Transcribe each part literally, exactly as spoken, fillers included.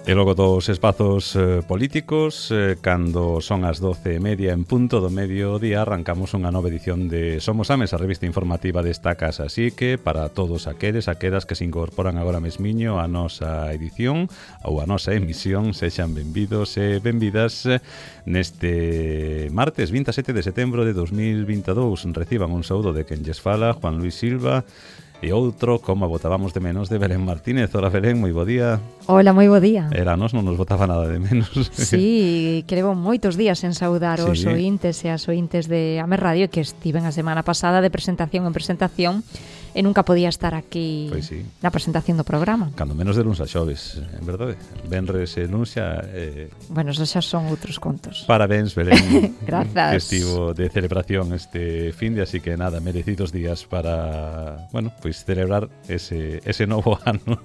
E logo dos espazos eh, políticos, eh, cando son as doce e media en punto do mediodía, arrancamos unha nova edición de Somos Ames, a revista informativa desta casa. Así que, para todos aqueles, aquelas que se incorporan agora mesmiño a nosa edición ou a nosa emisión, sexan benvidos e benvidas neste martes vinte e sete de setembro de dos mil vinte e dous. Reciban un saúdo de quen lles fala, Juan Luis Silva, e outro, como botábamos de menos, de Belén Martínez. Hola, Belén, moi bo día. Hola, moi bo día. Era, nos non nos botaba nada de menos. Sí, que levo moitos días en saudar sí. os ointes e as ointes de Ames Radio, que estiven a semana pasada de presentación en presentación e nunca podía estar aquí pois sí. na presentación do programa. Cando menos de luns a xoves, en verdade. Venres e luns xa... Eh... Bueno, esos xa son outros contos. Parabéns, Belén. Grazas. Que estivo de celebración este fin de, así que nada, merecidos días para, bueno, pois celebrar ese, ese novo ano.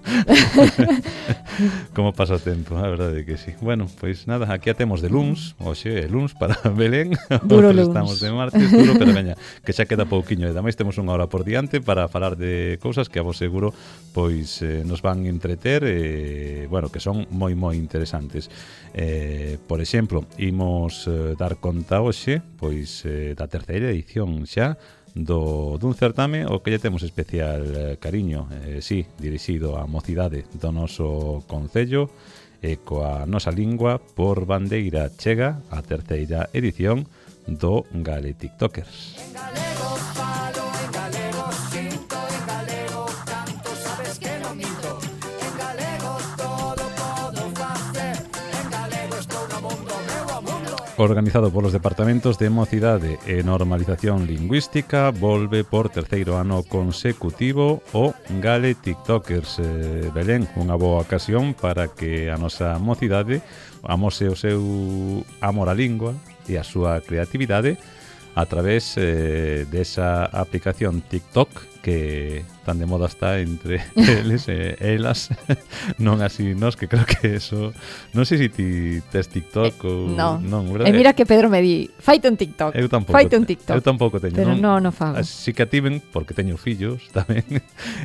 Como pasa o tempo, a verdade que sí. Bueno, pois nada, aquí a temos de luns, hoxe é luns para Belén. Duro luns. Estamos de martes, duro, pero veña, que xa queda pouquiño. E ademais temos unha hora por diante para falar de cousas que a vos seguro pois eh, nos van entreter e, bueno, que son moi moi interesantes. Eh, por exemplo, imos eh, dar conta hoxe pois eh, da terceira edición xa do dun certame o que lle temos especial eh, cariño, eh, sí, dirixido á mocidade do noso concello e coa nosa lingua por bandeira chega a terceira edición do Gale TikTokers. En galego falo, en galego sinto, en galego canto, sabes que non minto. En galego todo podo facer, en galego estou no mundo, meu mundo. Organizado polos departamentos de Mocidade e Normalización Lingüística, volve por terceiro ano consecutivo o Gale TikTokers. eh, Belén, unha boa ocasión para que a nosa mocidade amose o seu amor á lingua e a súa creatividade a través eh, desa aplicación TikTok que tan de moda está entre eles e elas, non así nos, que creo que eso, non sei se ti tes TikTok ou no. non, verdade? E mira que Pedro me di, faite un TikTok. Eu tampouco, faite un TikTok. Eu tampouco teño, pero non, non, non fago. Así que ativen, porque teño fillos tamén.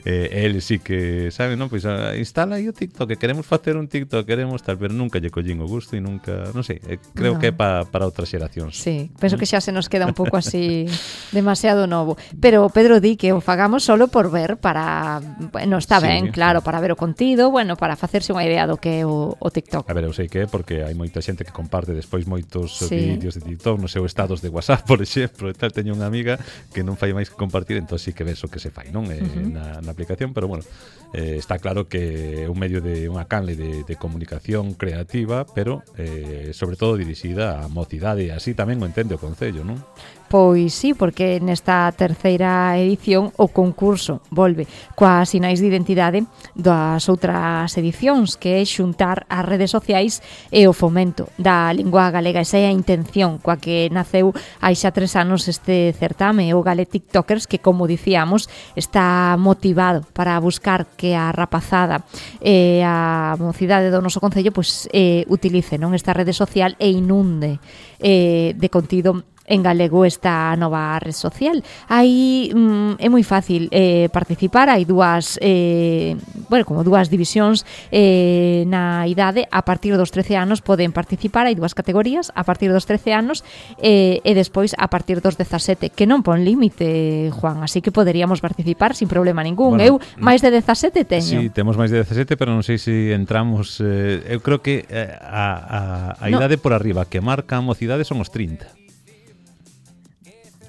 eh, eles sí que saben, non? Pois ah, instala aí o TikTok, que queremos facer un TikTok, queremos tal, pero nunca lle collín o gusto e nunca, non sei, eh, creo no. que é pa, para outras xeracións. Sí, penso que xa se nos queda un pouco así demasiado novo. Pero Pedro di que o fagamos solo por ver, para, bueno, está sí, ben, claro, para ver o contido, bueno, para facerse unha idea do que é o, o TikTok. A ver, eu sei que é porque hai moita xente que comparte despois moitos sí. vídeos de TikTok nos seus estados de WhatsApp, por exemplo, e tal, teño unha amiga que non fai máis que compartir, entón sí que ves o que se fai, non? Eh, uh-huh. na, na aplicación, pero bueno, eh, está claro que é un medio de unha canle de, de comunicación creativa, pero eh, sobre todo dirixida á mocidade, e así tamén o entende o concello, non? Pois sí, porque nesta terceira edición o concurso volve coas sinais de identidade das outras edicións, que é xuntar as redes sociais e o fomento da lingua galega. Esa é a intención coa que naceu hai xa tres anos este certame, o Gale TikTokers, que, como dicíamos, está motivado para buscar que a rapazada e a mocidade do noso concello pois, eh, utilice non esta rede social e inunde eh, de contido en galego esta nova red social. Aí mm, é moi fácil eh, participar, hai dúas eh, bueno, como dúas divisións eh, na idade. A partir dos trece anos poden participar, hai dúas categorías, a partir dos trece anos eh, e despois a partir dos dezasete, que non pon límite, Juan, así que poderíamos participar sin problema ningún. Bueno, eu máis de dezasete teño. Sí, temos máis de dezasete, pero non sei se entramos, eh, eu creo que eh, a, a, a idade no. por arriba que marca a mocidade son os trinta.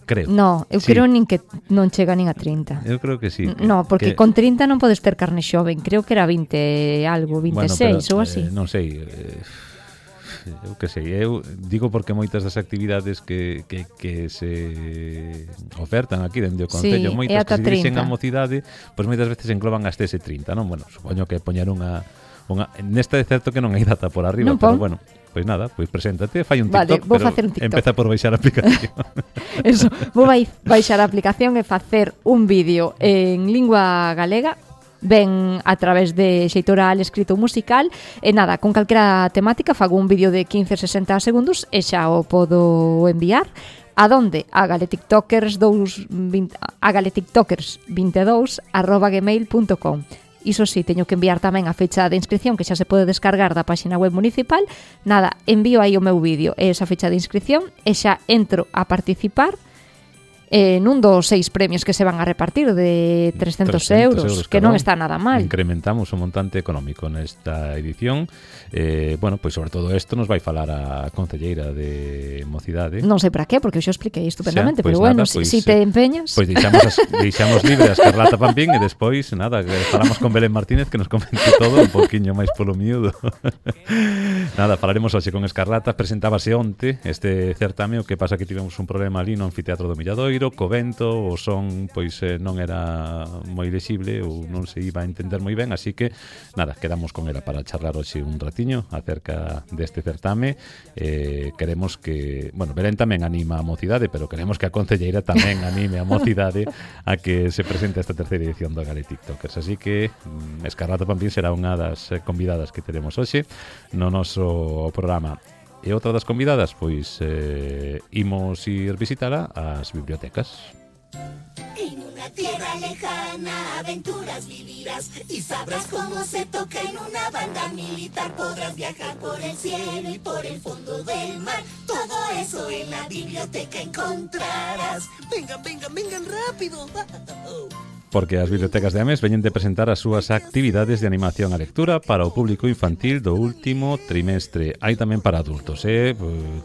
Creo. No, eu sí. creo nin que non chega nin a trinta. Eu creo que sí. Que, no, porque que... con trinta non podes ter carne xoven. Creo que era vinte algo, vinte e seis bueno, pero, ou así. Eh, non sei, eh, eu que sei, eu digo porque moitas das actividades que, que, que se ofertan aquí dende o concello, sí, moitas que se dirixen a mocidade, pois moitas veces engloban hasta ese trinta, non? Bueno, supoño que poñer unha, unha nesta é certo que non hai data por arriba, non pero pon. Bueno, pois nada, pois preséntate, fai un TikTok, vale, vou pero facer un TikTok. Empeza por baixar a aplicación. Eso, vou baixar a aplicación e facer un vídeo en lingua galega, ben a través de xeito oral, escrito musical, e nada, con calquera temática fago un vídeo de quince a sesenta segundos e xa o podo enviar. A donde? A galetiktokers vinte, a galetiktokers veintidós arroba gmail punto com. Iso sí, teño que enviar tamén a fecha de inscripción que xa se pode descargar da páxina web municipal. Nada, envío aí o meu vídeo e esa fecha de inscripción e xa entro a participar eh, nun dos seis premios que se van a repartir de trescentos euros, que non está nada mal. Incrementamos o montante económico nesta edición. Eh, bueno, pois sobre todo isto nos vai falar a concelleira de Mocidade. Non sei para qué, porque eu xa expliquei estupendamente, xa, pois pero bueno, nada, si, pois, si te empeñas... Pois deixamos, as, deixamos libre a Escarlata Pampín e despois, nada, falamos con Belén Martínez que nos comente todo un poquinho máis polo miúdo. Nada, falaremos hoxe con Escarlata. Presentábase onte este certame, o que pasa que tivemos un problema ali no anfiteatro do Milladoiro, co vento, o son pois eh, non era moi lexible ou non se iba a entender moi ben, así que nada, quedamos con ela para charlar hoxe un ratiño acerca deste certame. Eh, queremos que, bueno, Belén tamén anima a Mocidade, pero queremos que a concelleira tamén anime a Mocidade a que se presente esta terceira edición do Gale TikTokers, así que mm, Escarlata Pampín será unha das convidadas que teremos hoxe no noso programa. E outra das convidadas, pois eh, imos ir visitala ás bibliotecas. En una tierra lejana aventuras vivirás y sabrás cómo se toca en una banda militar. Podrás viajar por el cielo y por el fondo del mar. Todo eso en la biblioteca encontrarás. Vengan, vengan, vengan rápido. Porque as bibliotecas de Ames veñen de presentar as súas actividades de animación a lectura para o público infantil do último trimestre. Hai tamén para adultos, eh?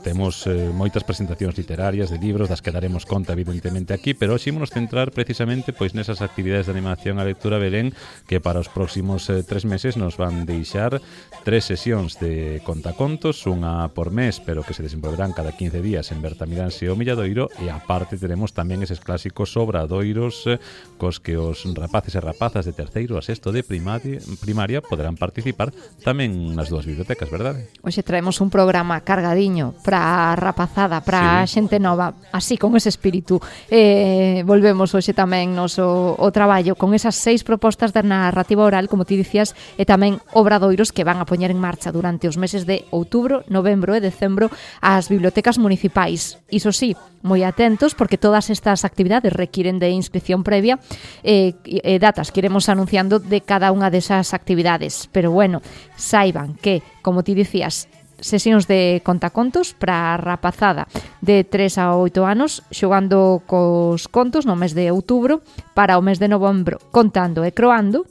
Temos eh, moitas presentacións literarias de libros das que daremos conta evidentemente aquí, pero hoxe ímonos centrar precisamente pois nesas actividades de animación a lectura, Belén, que para os próximos eh, tres meses nos van deixar tres sesións de contacontos, unha por mes, pero que se desenvolverán cada quince días en Bertamiráns e o Milladoiro, e aparte teremos tamén eses clásicos obradoiros eh, cos que os rapaces e rapazas de terceiro a sexto de primaria, primaria poderán participar tamén nas dúas bibliotecas, verdade? Hoxe traemos un programa cargadiño para a rapazada, para a sí. xente nova, así con ese espírito. Eh, volvemos hoxe tamén noso o traballo con esas seis propostas de narrativa oral, como ti dicías, e tamén obradoiros que van a poñer en marcha durante os meses de outubro, novembro e decembro as bibliotecas municipais. Iso sí, moi atentos, porque todas estas actividades requiren de inscripción previa e eh, eh, datas que iremos anunciando de cada unha desas actividades. Pero bueno, saiban que, como ti dicías, sesións de contacontos para a rapazada de tres a oito anos, xogando cos contos no mes de outubro, para o mes de novembro contando e croando,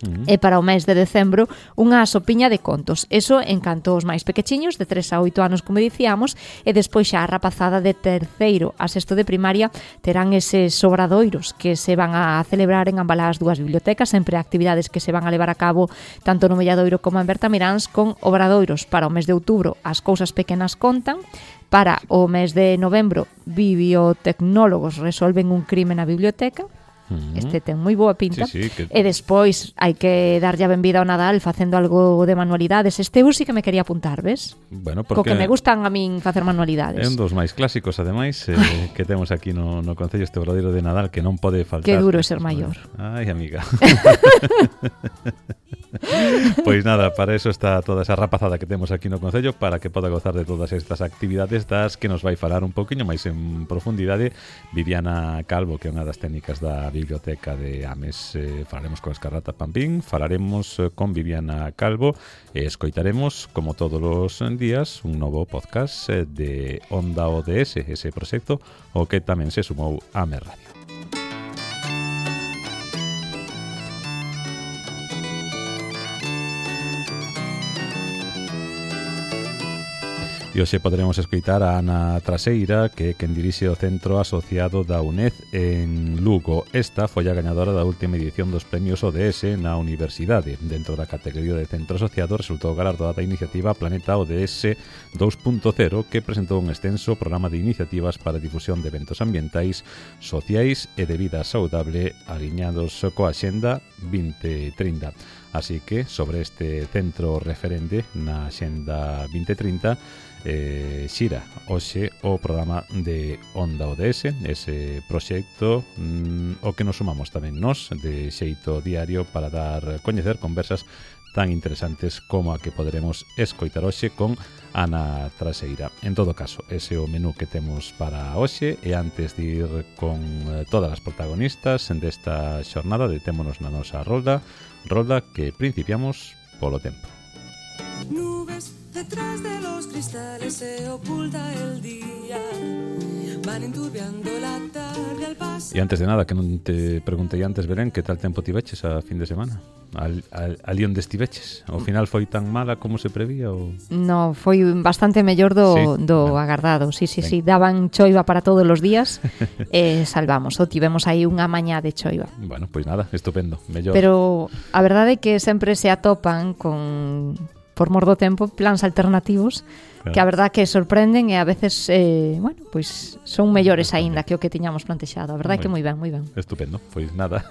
Uh-huh. e para o mes de decembro unha sopiña de contos. Eso en canto os máis pequechiños de tres a oito anos, como dicíamos, e despois xa a rapazada de terceiro a sexto de primaria terán eses obradoiros que se van a celebrar en ambas as dúas bibliotecas, sempre actividades que se van a levar a cabo tanto no Milladoiro como en Bertamiráns, con obradoiros para o mes de outubro As cousas pequenas contan, para o mes de novembro Bibliotecnólogos resolven un crime na biblioteca. Este ten moi boa pinta, sí, sí, que... e despois hai que darlle a benvida ao Nadal facendo algo de manualidades. Este eu sí que me quería apuntar, ves? Bueno, porque... Co que me gustan a min facer manualidades. É un dos máis clásicos, ademais, eh, que temos aquí no, no Concello, este obradoiro de Nadal que non pode faltar. Que duro é ser maior. Ai, amiga. Pois nada, para eso está toda esa rapazada que temos aquí no Concello, para que poda gozar de todas estas actividades das que nos vai falar un poquinho máis en profundidade Viviana Calvo, que é unha das técnicas da Biblioteca de Ames. Eh, falaremos con Escarlata Pampín, falaremos con Viviana Calvo e escoitaremos, como todos os días, un novo podcast de Onda O D S, ese proxecto o que tamén se sumou a Ames Radio. E hoxe poderemos escoitar a Ana Traseira, que é quen dirixe o Centro Asociado da UNED en Lugo. Esta foi a gañadora da última edición dos premios O D S na Universidade. Dentro da categoría de Centro Asociado resultou galardoada a iniciativa Planeta O D S dos punto cero, que presentou un extenso programa de iniciativas para difusión de eventos ambientais, sociais e de vida saudable aliñados coa Axenda vinte trinta. Así que, sobre este centro referente na Axenda vinte trinta, eh, xira hoxe o programa de Onda O D S, ese proxecto mm, o que nos sumamos tamén nos de xeito diario para dar coñecer conversas tan interesantes como a que poderemos escoitar hoxe con Ana Traseira. En todo caso, ese é o menú que temos para hoxe, e antes de ir con eh, todas as protagonistas desta xornada, detémonos na nosa rolda, rolda que principiamos polo tempo. Nubes detrás de los cristales se oculta el día, van enturbiando la tarde al paso. E antes de nada, que non te preguntei antes, Belén, que tal tempo tiveches a fin de semana? Al, al, ali onde estiveches? Ao final foi tan mala como se prevía? Ou... No, foi bastante mellor do, sí, do bueno. agardado. Sí, sí, Ben. sí, daban choiva para todos os días e eh, salvamos. O tivemos aí unha mañá de choiva. Bueno, pois pues nada, estupendo, mellor. Pero a verdade é que sempre se atopan con, por mor do tempo, plans alternativos, claro, que a verdade que sorprenden e a veces, eh, bueno, pois pues son mellores aínda que o que tiñamos plantexado. A verdade é que moi ben, moi ben. Estupendo, pois nada.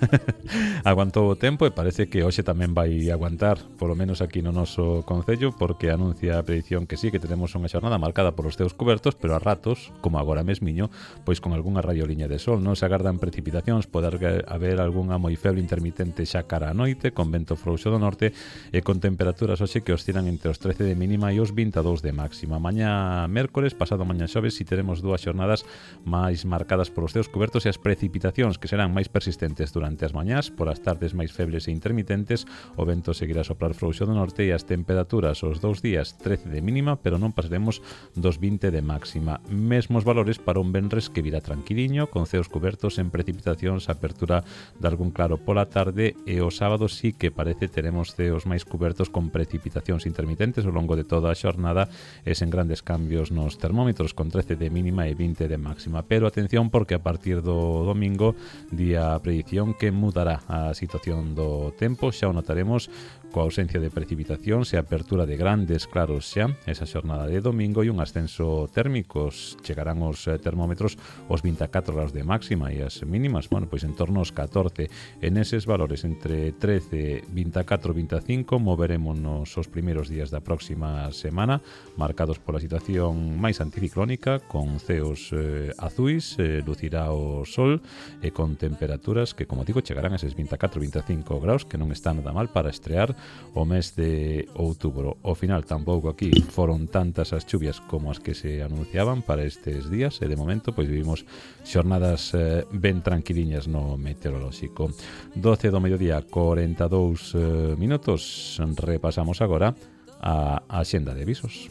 Aguantou o tempo e parece que hoxe tamén vai aguantar, polo menos aquí no noso concello, porque anuncia a predición que sí, que tenemos unha xornada marcada polos teus cubertos, pero a ratos, como agora mesmiño, pois con algunha raioliña de sol. Non se agardan precipitacións, poder haber algunha moi feble intermitente xa cara a noite, con vento frouxo do norte e con temperaturas hoxe que oscilan entre os trece de mínima e os vinte e dous de máxima. Mañá mércores, pasado mañá xoves, si teremos dúas xornadas máis marcadas polos teus cubertos e as precipitacións que serán máis persistentes durante as mañás, por as tardes máis febles e intermitentes, o vento seguirá a soprar frouxo do norte e as temperaturas os dous días trece de mínima, pero non pasaremos dos vinte de máxima. Mesmos valores para un venres que virá tranquiliño, con ceos cubertos en precipitacións, apertura de algún claro pola tarde, e o sábado sí que parece teremos ceos máis cubertos con precipitacións intermitentes ao longo de toda a xornada e sen grandes cambios nos termómetros, con trece de mínima e vinte de máxima. Pero atención, porque a partir do domingo, día a predición que mudará a situación do tempo, xa o notaremos coa ausencia de precipitacións e apertura de grandes claros xa esa xornada de domingo, e un ascenso térmico. Chegarán os termómetros os vinte e catro graus de máxima e as mínimas, bueno, pois en torno aos catorce. En eses valores entre trece, vinte e catro, vinte e cinco moverémonos os primeiros días da próxima semana, marcados pola situación máis anticiclónica, con ceos eh, azuis, eh, lucirá o sol e con temperaturas que, como digo, chegarán a eses vinte e catro, vinte e cinco graus, que non está nada mal para estrear o mes de outubro. Ao final tampouco aquí foron tantas as chuvias como as que se anunciaban para estes días, e de momento pois vivimos xornadas eh, ben tranquiliñas no meteorolóxico. doce do mediodía, corenta e dous eh, minutos. Repasamos agora a axenda de avisos.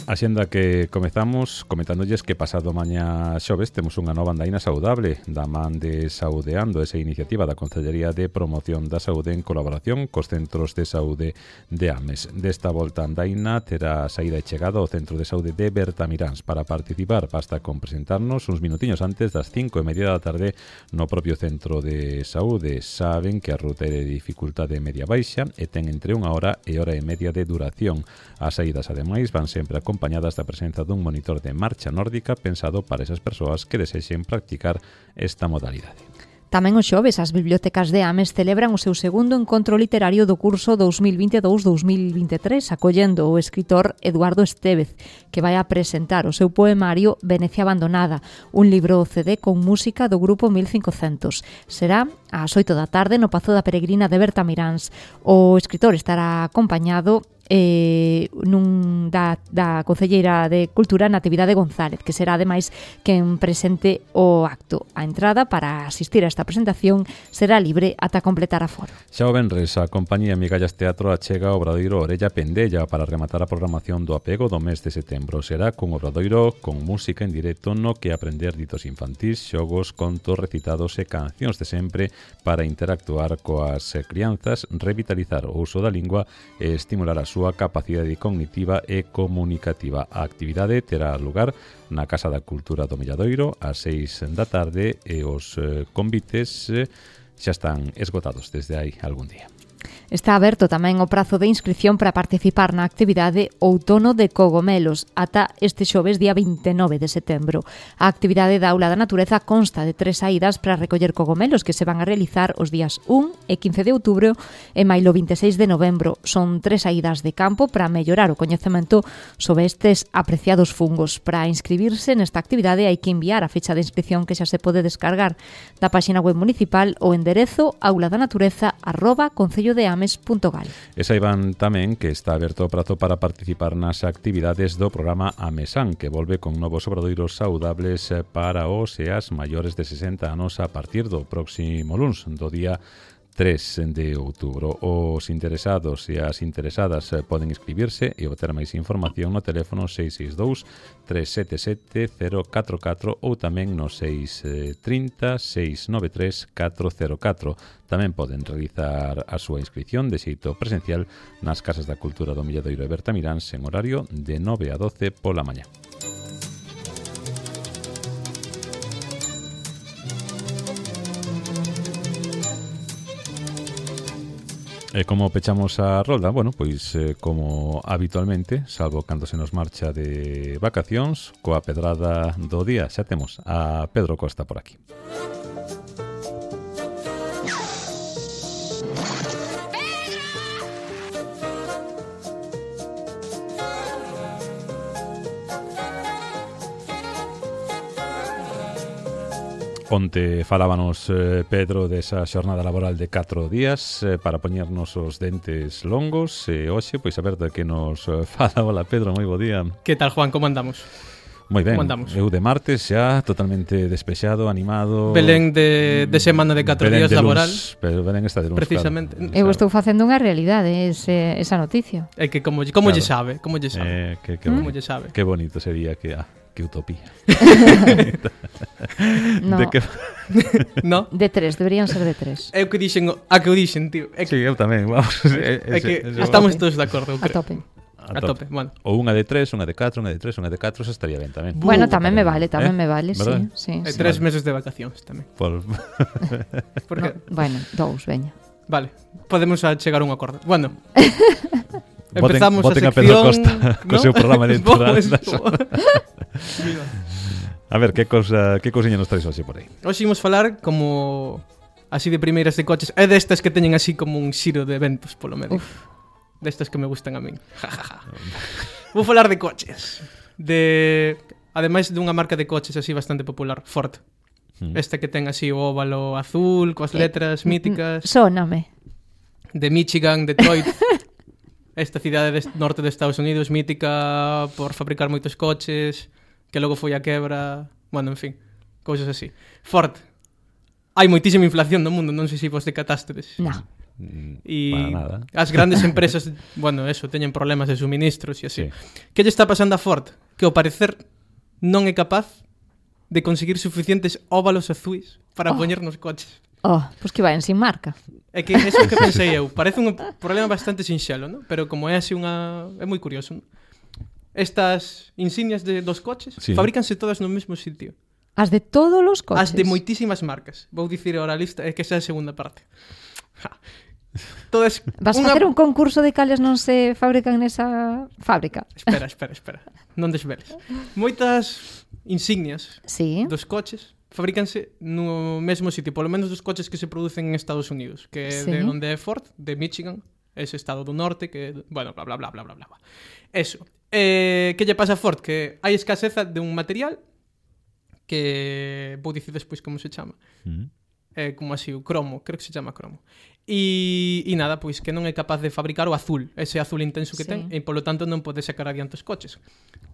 A xenda que comezamos comentándolles que pasado mañá xoves temos unha nova andaina saudable da man de Saudeando, esa iniciativa da Concellería de Promoción da Saúde en colaboración cos centros de saúde de Ames. Desta volta andaina terá saída e chegada ao centro de saúde de Bertamiráns. Para participar basta con presentarnos uns minutiños antes das cinco e media da tarde no propio centro de saúde. Saben que a ruta é de dificultade media baixa e ten entre unha hora e hora e media de duración. As saídas, ademais, van sempre acompañadas acompañadas da presenza dun monitor de marcha nórdica pensado para esas persoas que desexen practicar esta modalidade. Tamén o xoves as bibliotecas de Ames celebran o seu segundo encontro literario do curso dos mil vinte e dous dos mil vinte e tres, acollendo o escritor Eduardo Estévez, que vai a presentar o seu poemario Venecia abandonada, un libro C D con música do grupo mil cincocentos. Será ás oito da tarde no Pazo da Peregrina de Bertamiráns. O escritor estará acompañado eh, nun da, da Concelleira de Cultura, Natividade González, que será ademais quen presente o acto. A entrada para asistir a esta presentación será libre ata completar a foro. Xa o venres, a compañía Migallas Teatro achega o obradoiro Orella Pendella para rematar a programación do apego do mes de setembro. Será con obradoiro con música en directo no que aprender ditos infantís, xogos, contos, recitados e cancións de sempre para interactuar coas crianzas, revitalizar o uso da lingua e estimular a súa capacidade cognitiva e comunicativa. A actividade terá lugar na Casa da Cultura do Milladoiro ás seis da tarde e os eh, convites eh, xa están esgotados desde hai algún día. Está aberto tamén o prazo de inscripción para participar na actividade Outono de Cogomelos ata este xoves día vinte e nove de setembro. A actividade da Aula da Natureza consta de tres saídas para recoller cogomelos que se van a realizar os días un e quince de outubro e mailo vinte e seis de novembro. Son tres saídas de campo para mellorar o coñecemento sobre estes apreciados fungos. Para inscribirse nesta actividade hai que enviar a ficha de inscripción que xa se pode descargar da páxina web municipal o enderezo auladaнаtureza arroba concello de ames punto gal. E saiban tamén que está aberto o prazo para participar nas actividades do programa Amesan, que volve con novos obradoiros saudables para os e as maiores de sesenta anos a partir do próximo luns, do día tres de outubro. Os interesados e as interesadas poden inscribirse e obter máis información no teléfono seis seis dous, tres sete sete, cero catro catro ou tamén no seis trinta, seis nove tres, catro cero catro. Tamén poden realizar a súa inscripción de xeito presencial nas Casas da Cultura do Milladoiro e Bertamiráns en horario de nove a doce pola mañá. E como pechamos a rolda, bueno, pois eh, como habitualmente, salvo cando se nos marcha de vacacións, coa pedrada do día xa temos a Pedro Costa por aquí. Onte falábanos eh, Pedro desa xornada laboral de catro días eh, para poñernos os dentes longos e hoxe, pois a ver de que nos eh, fala. Hola Pedro, moi bo día. Que tal, Juan, como andamos? Moi ben, como andamos? Eu de martes xa totalmente despexado, animado. Belén de, de semana de catro Belén días de laboral. Luns, pero Belén está de luns, precisamente. Claro. Eu estou facendo unha realidade ese, esa noticia. É que como, como Claro. lle sabe, como lle sabe. Eh, que, que Como bonito. lle sabe. Que bonito sería que... Ah, que utopía. No, De que... No? de tres, deberían ser de tres. É o que dixen, a que o dixen, tío. É que, Sí, eu tamén, vamos. é que ese- ese- estamos todos de acordo, eu A creo. tope. A tope, bueno. Ou unha de tres, unha de catro, unha de tres, unha de catro, eso estaría ben tamén. Bueno, tamén me vale, tamén Eh? me vale, ¿Verdad? sí, sí, E sí. tres meses de vacacións tamén. Por... Porque, No, bueno, dous, veña. vale, podemos a chegar a un acordo. Bueno, Voten- empezamos voten a a Pedro sección... Costa co seu programa electoral. Viva. A ver, que cousa, que cousiña nos traes hoxe por aí? Hoxe imos falar como así de primeiras de coches. É destas que teñen así como un xiro de eventos polo medio. Uf. Destas que me gustan a min. Ja, ja, ja. Vou falar de coches. De ademais dunha marca de coches así bastante popular, Ford. Mm. Esta que ten así o óvalo azul coas letras míticas Sóname. de Michigan, Detroit. Esta cidade do norte de Estados Unidos mítica por fabricar moitos coches, que logo foi a quebra, bueno, en fin, cousas así. Ford. Hai moitísima inflación no mundo, non sei se vos decatástedes. No. Mm, E Para nada. as grandes empresas, bueno, eso, teñen problemas de suministros e así. Sí. Que lle está pasando a Ford? Que ao parecer non é capaz de conseguir suficientes óvalos azuis para Oh. poñer nos coches. Oh, pois que vayan sin marca. É que eso que pensei eu. Parece un problema bastante sinxelo, ¿no? Pero como é así unha... É moi curioso, ¿no? Estas insignias de, dos coches Sí. fabrícanse todas no mesmo sitio. As de todos os coches. As de moitísimas marcas. Vou dicir ahora a lista, é que esa é a segunda parte. Ja. Todas... Vas unha- facer un concurso de cales non se fabrican nesa fábrica? Espera, espera, espera. Non desveles. Moitas insignias Sí. dos coches fabrícanse no mesmo sitio, polo menos dos coches que se producen en Estados Unidos, que é Sí. de onde é Ford, de Michigan, ese estado do norte, que, bueno, bla, bla, bla, bla, bla, bla. Eso. Eh, que lle pasa a Ford? Que hai escaseza de un material que vou dicir despois como se chama. Mm. É como así, o cromo, creo que se chama cromo. E, e nada, pois que non é capaz de fabricar o azul, ese azul intenso que Sí. ten, e polo tanto non pode sacar adiante os coches.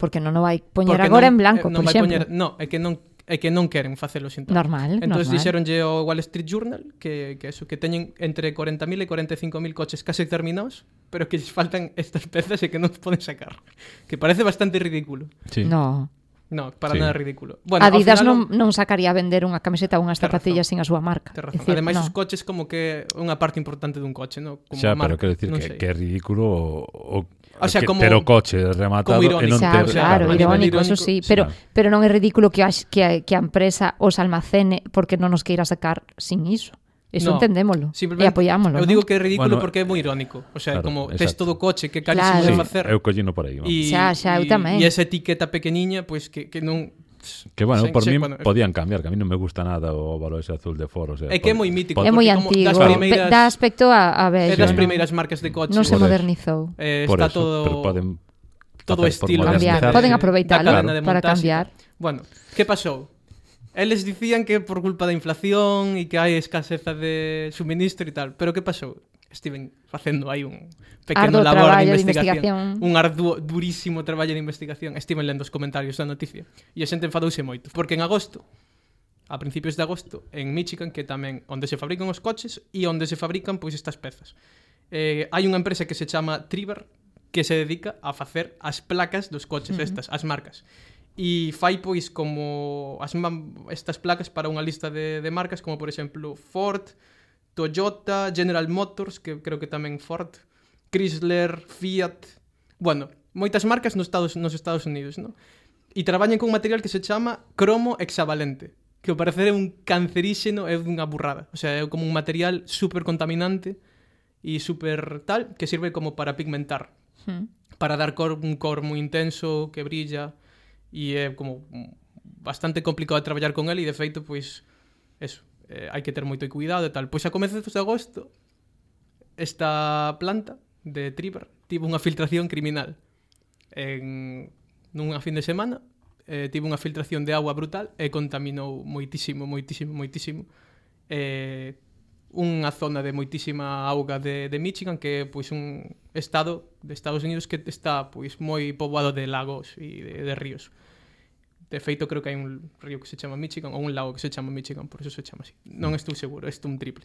Porque non o vai poñer Porque agora non- en blanco, eh, non por vai exemplo. poñer, no, é que non é que non queren facelo sin Normal, Entón normal. dixeronlle ao Wall Street Journal que, que eso, que teñen entre cuarenta mil e cuarenta e cinco mil coches case terminados, pero que lles faltan estas pezas e que non poden sacar. Que parece bastante ridículo. Sí. No. No, para Sí. nada ridículo. Bueno, ao Adidas final, non, non sacaría a vender unha camiseta ou unhas Tes zapatillas sin razón. a súa marca. Tes É razón. dicir, Ademais, no. os coches como que é unha parte importante dun coche, no? Como Xa, pero marca, quero dicir non que, sei. que é ridículo o, o, O sea, que como- ter o coche rematado como e non irónico. Claro, ter... claro, a nivel irónico, eso irónico, sí, sí, pero, claro. pero non é ridículo que a, que, a, que a empresa os almacene porque non nos queira sacar sin iso. Eso No, entendémolo e simplemente apoyámolo. Eu ¿no? digo que é ridículo Bueno, porque é moi irónico. O sea, claro, como exacto. tes todo o coche que Claro. calles de Sí, facer. eu collino por aí. vamos. E, Xa, xa, eu e- tamén. E esa etiqueta pequeniña, pois que, que non... Que bueno, sen- por sen- mí bueno, podían cambiar, que a mí non me gusta nada o óvalo ese azul de Ford, o sea, É que é pod- moi mítico. pod- É moi porque como antigo. das Ve- primeiras- Dá aspecto a, a É vello. das ¿no? primeiras marcas de coches. Non se Por eso. modernizou. Eh, por está eso, todo... pero poden todo facer por estilo. Cambiar. modernizarse. Poden aproveitalo Da cadena de para montaxe. cambiar. Bueno, que pasou? Eles dicían que por culpa da inflación e que hai escaseza de suministro e tal. Pero que pasou? Estiven facendo aí un pequeno Arduo labor de traballo de investigación. investigación. Un arduo, durísimo traballo de investigación. Estiven lendo os comentarios da noticia. E a xente enfadouse moito. Porque en agosto, a principios de agosto, en Michigan, que tamén onde se fabrican os coches e onde se fabrican pois estas pezas. Eh, hai unha empresa que se chama Triver que se dedica a facer as placas dos coches, uh-huh. estas, as marcas. E fai pois como as estas placas para unha lista de, de marcas como por exemplo Ford, Toyota, General Motors, que creo que tamén Ford, Chrysler, Fiat, bueno, moitas marcas nos Estados, nos Estados Unidos, ¿no? E traballan con un material que se chama cromo hexavalente, que ao parecer é un canceríxeno, é unha burrada, o sea, é como un material super contaminante e super tal, que sirve como para pigmentar, Hmm. para dar cor, un cor moi intenso, que brilla, e é como bastante complicado de traballar con ele, e de feito, pois, eso, eh, hai que ter moito cuidado e tal. Pois a comezos de agosto, esta planta de Triver tivo unha filtración criminal. En nunha fin de semana, eh, tivo unha filtración de agua brutal e contaminou moitísimo, moitísimo, moitísimo. Eh, unha zona de moitísima auga de, de Michigan, que é pois un estado de Estados Unidos que está pois moi poboado de lagos e de, de ríos. De feito, creo que hai un río que se chama Michigan ou un lago que se chama Michigan, por eso se chama así. Non estou seguro, isto é un triple.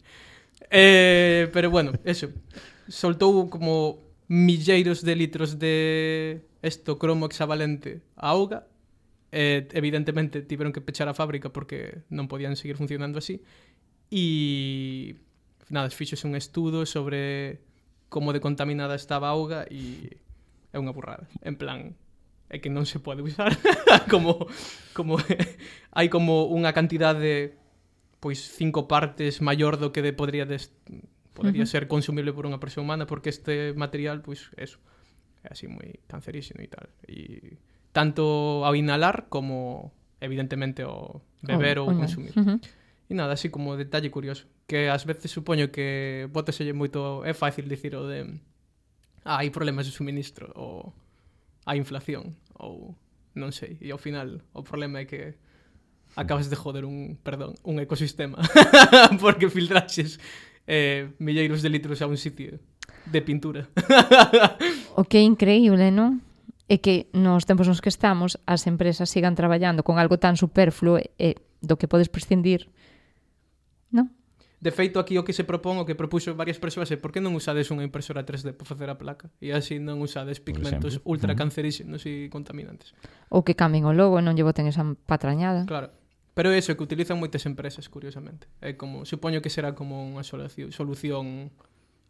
Eh, pero bueno, eso. Soltou como milleiros de litros de esto cromo hexavalente a auga. Eh, evidentemente tiveron que pechar a fábrica porque non podían seguir funcionando así. E nada, fixose un estudo sobre como de contaminada estaba a auga e é unha burrada. En plan, é que non se pode usar como como hai como unha cantidade pois cinco partes maior do que de podría des, podría uh -huh. ser consumible por unha persoa humana, porque este material pois eso é así moi cancerígeno e tal. E tanto ao inhalar como evidentemente ao beber Oh, ou oh, consumir. uh -huh. E nada, así como detalle curioso, que ás veces supoño que bótaselle moito, é fácil dicir o de ah, hai problemas de suministro ou hai inflación ou non sei, e ao final o problema é que acabas de joder un, perdón, un ecosistema porque filtraxes eh, milleiros de litros a un sitio de pintura. O que é increíble, non? É que nos tempos nos que estamos as empresas sigan traballando con algo tan superfluo e do que podes prescindir, non? De feito, aquí o que se propón, o que propuxo varias persoas é por que non usades unha impresora tres D para facer a placa e así non usades pigmentos exemplo. ultra canceríxenos e contaminantes. Ou que cambien o logo e non lle boten esa patrañada. Claro. Pero é iso que utilizan moitas empresas, curiosamente. É como, supoño que será como unha solución, solución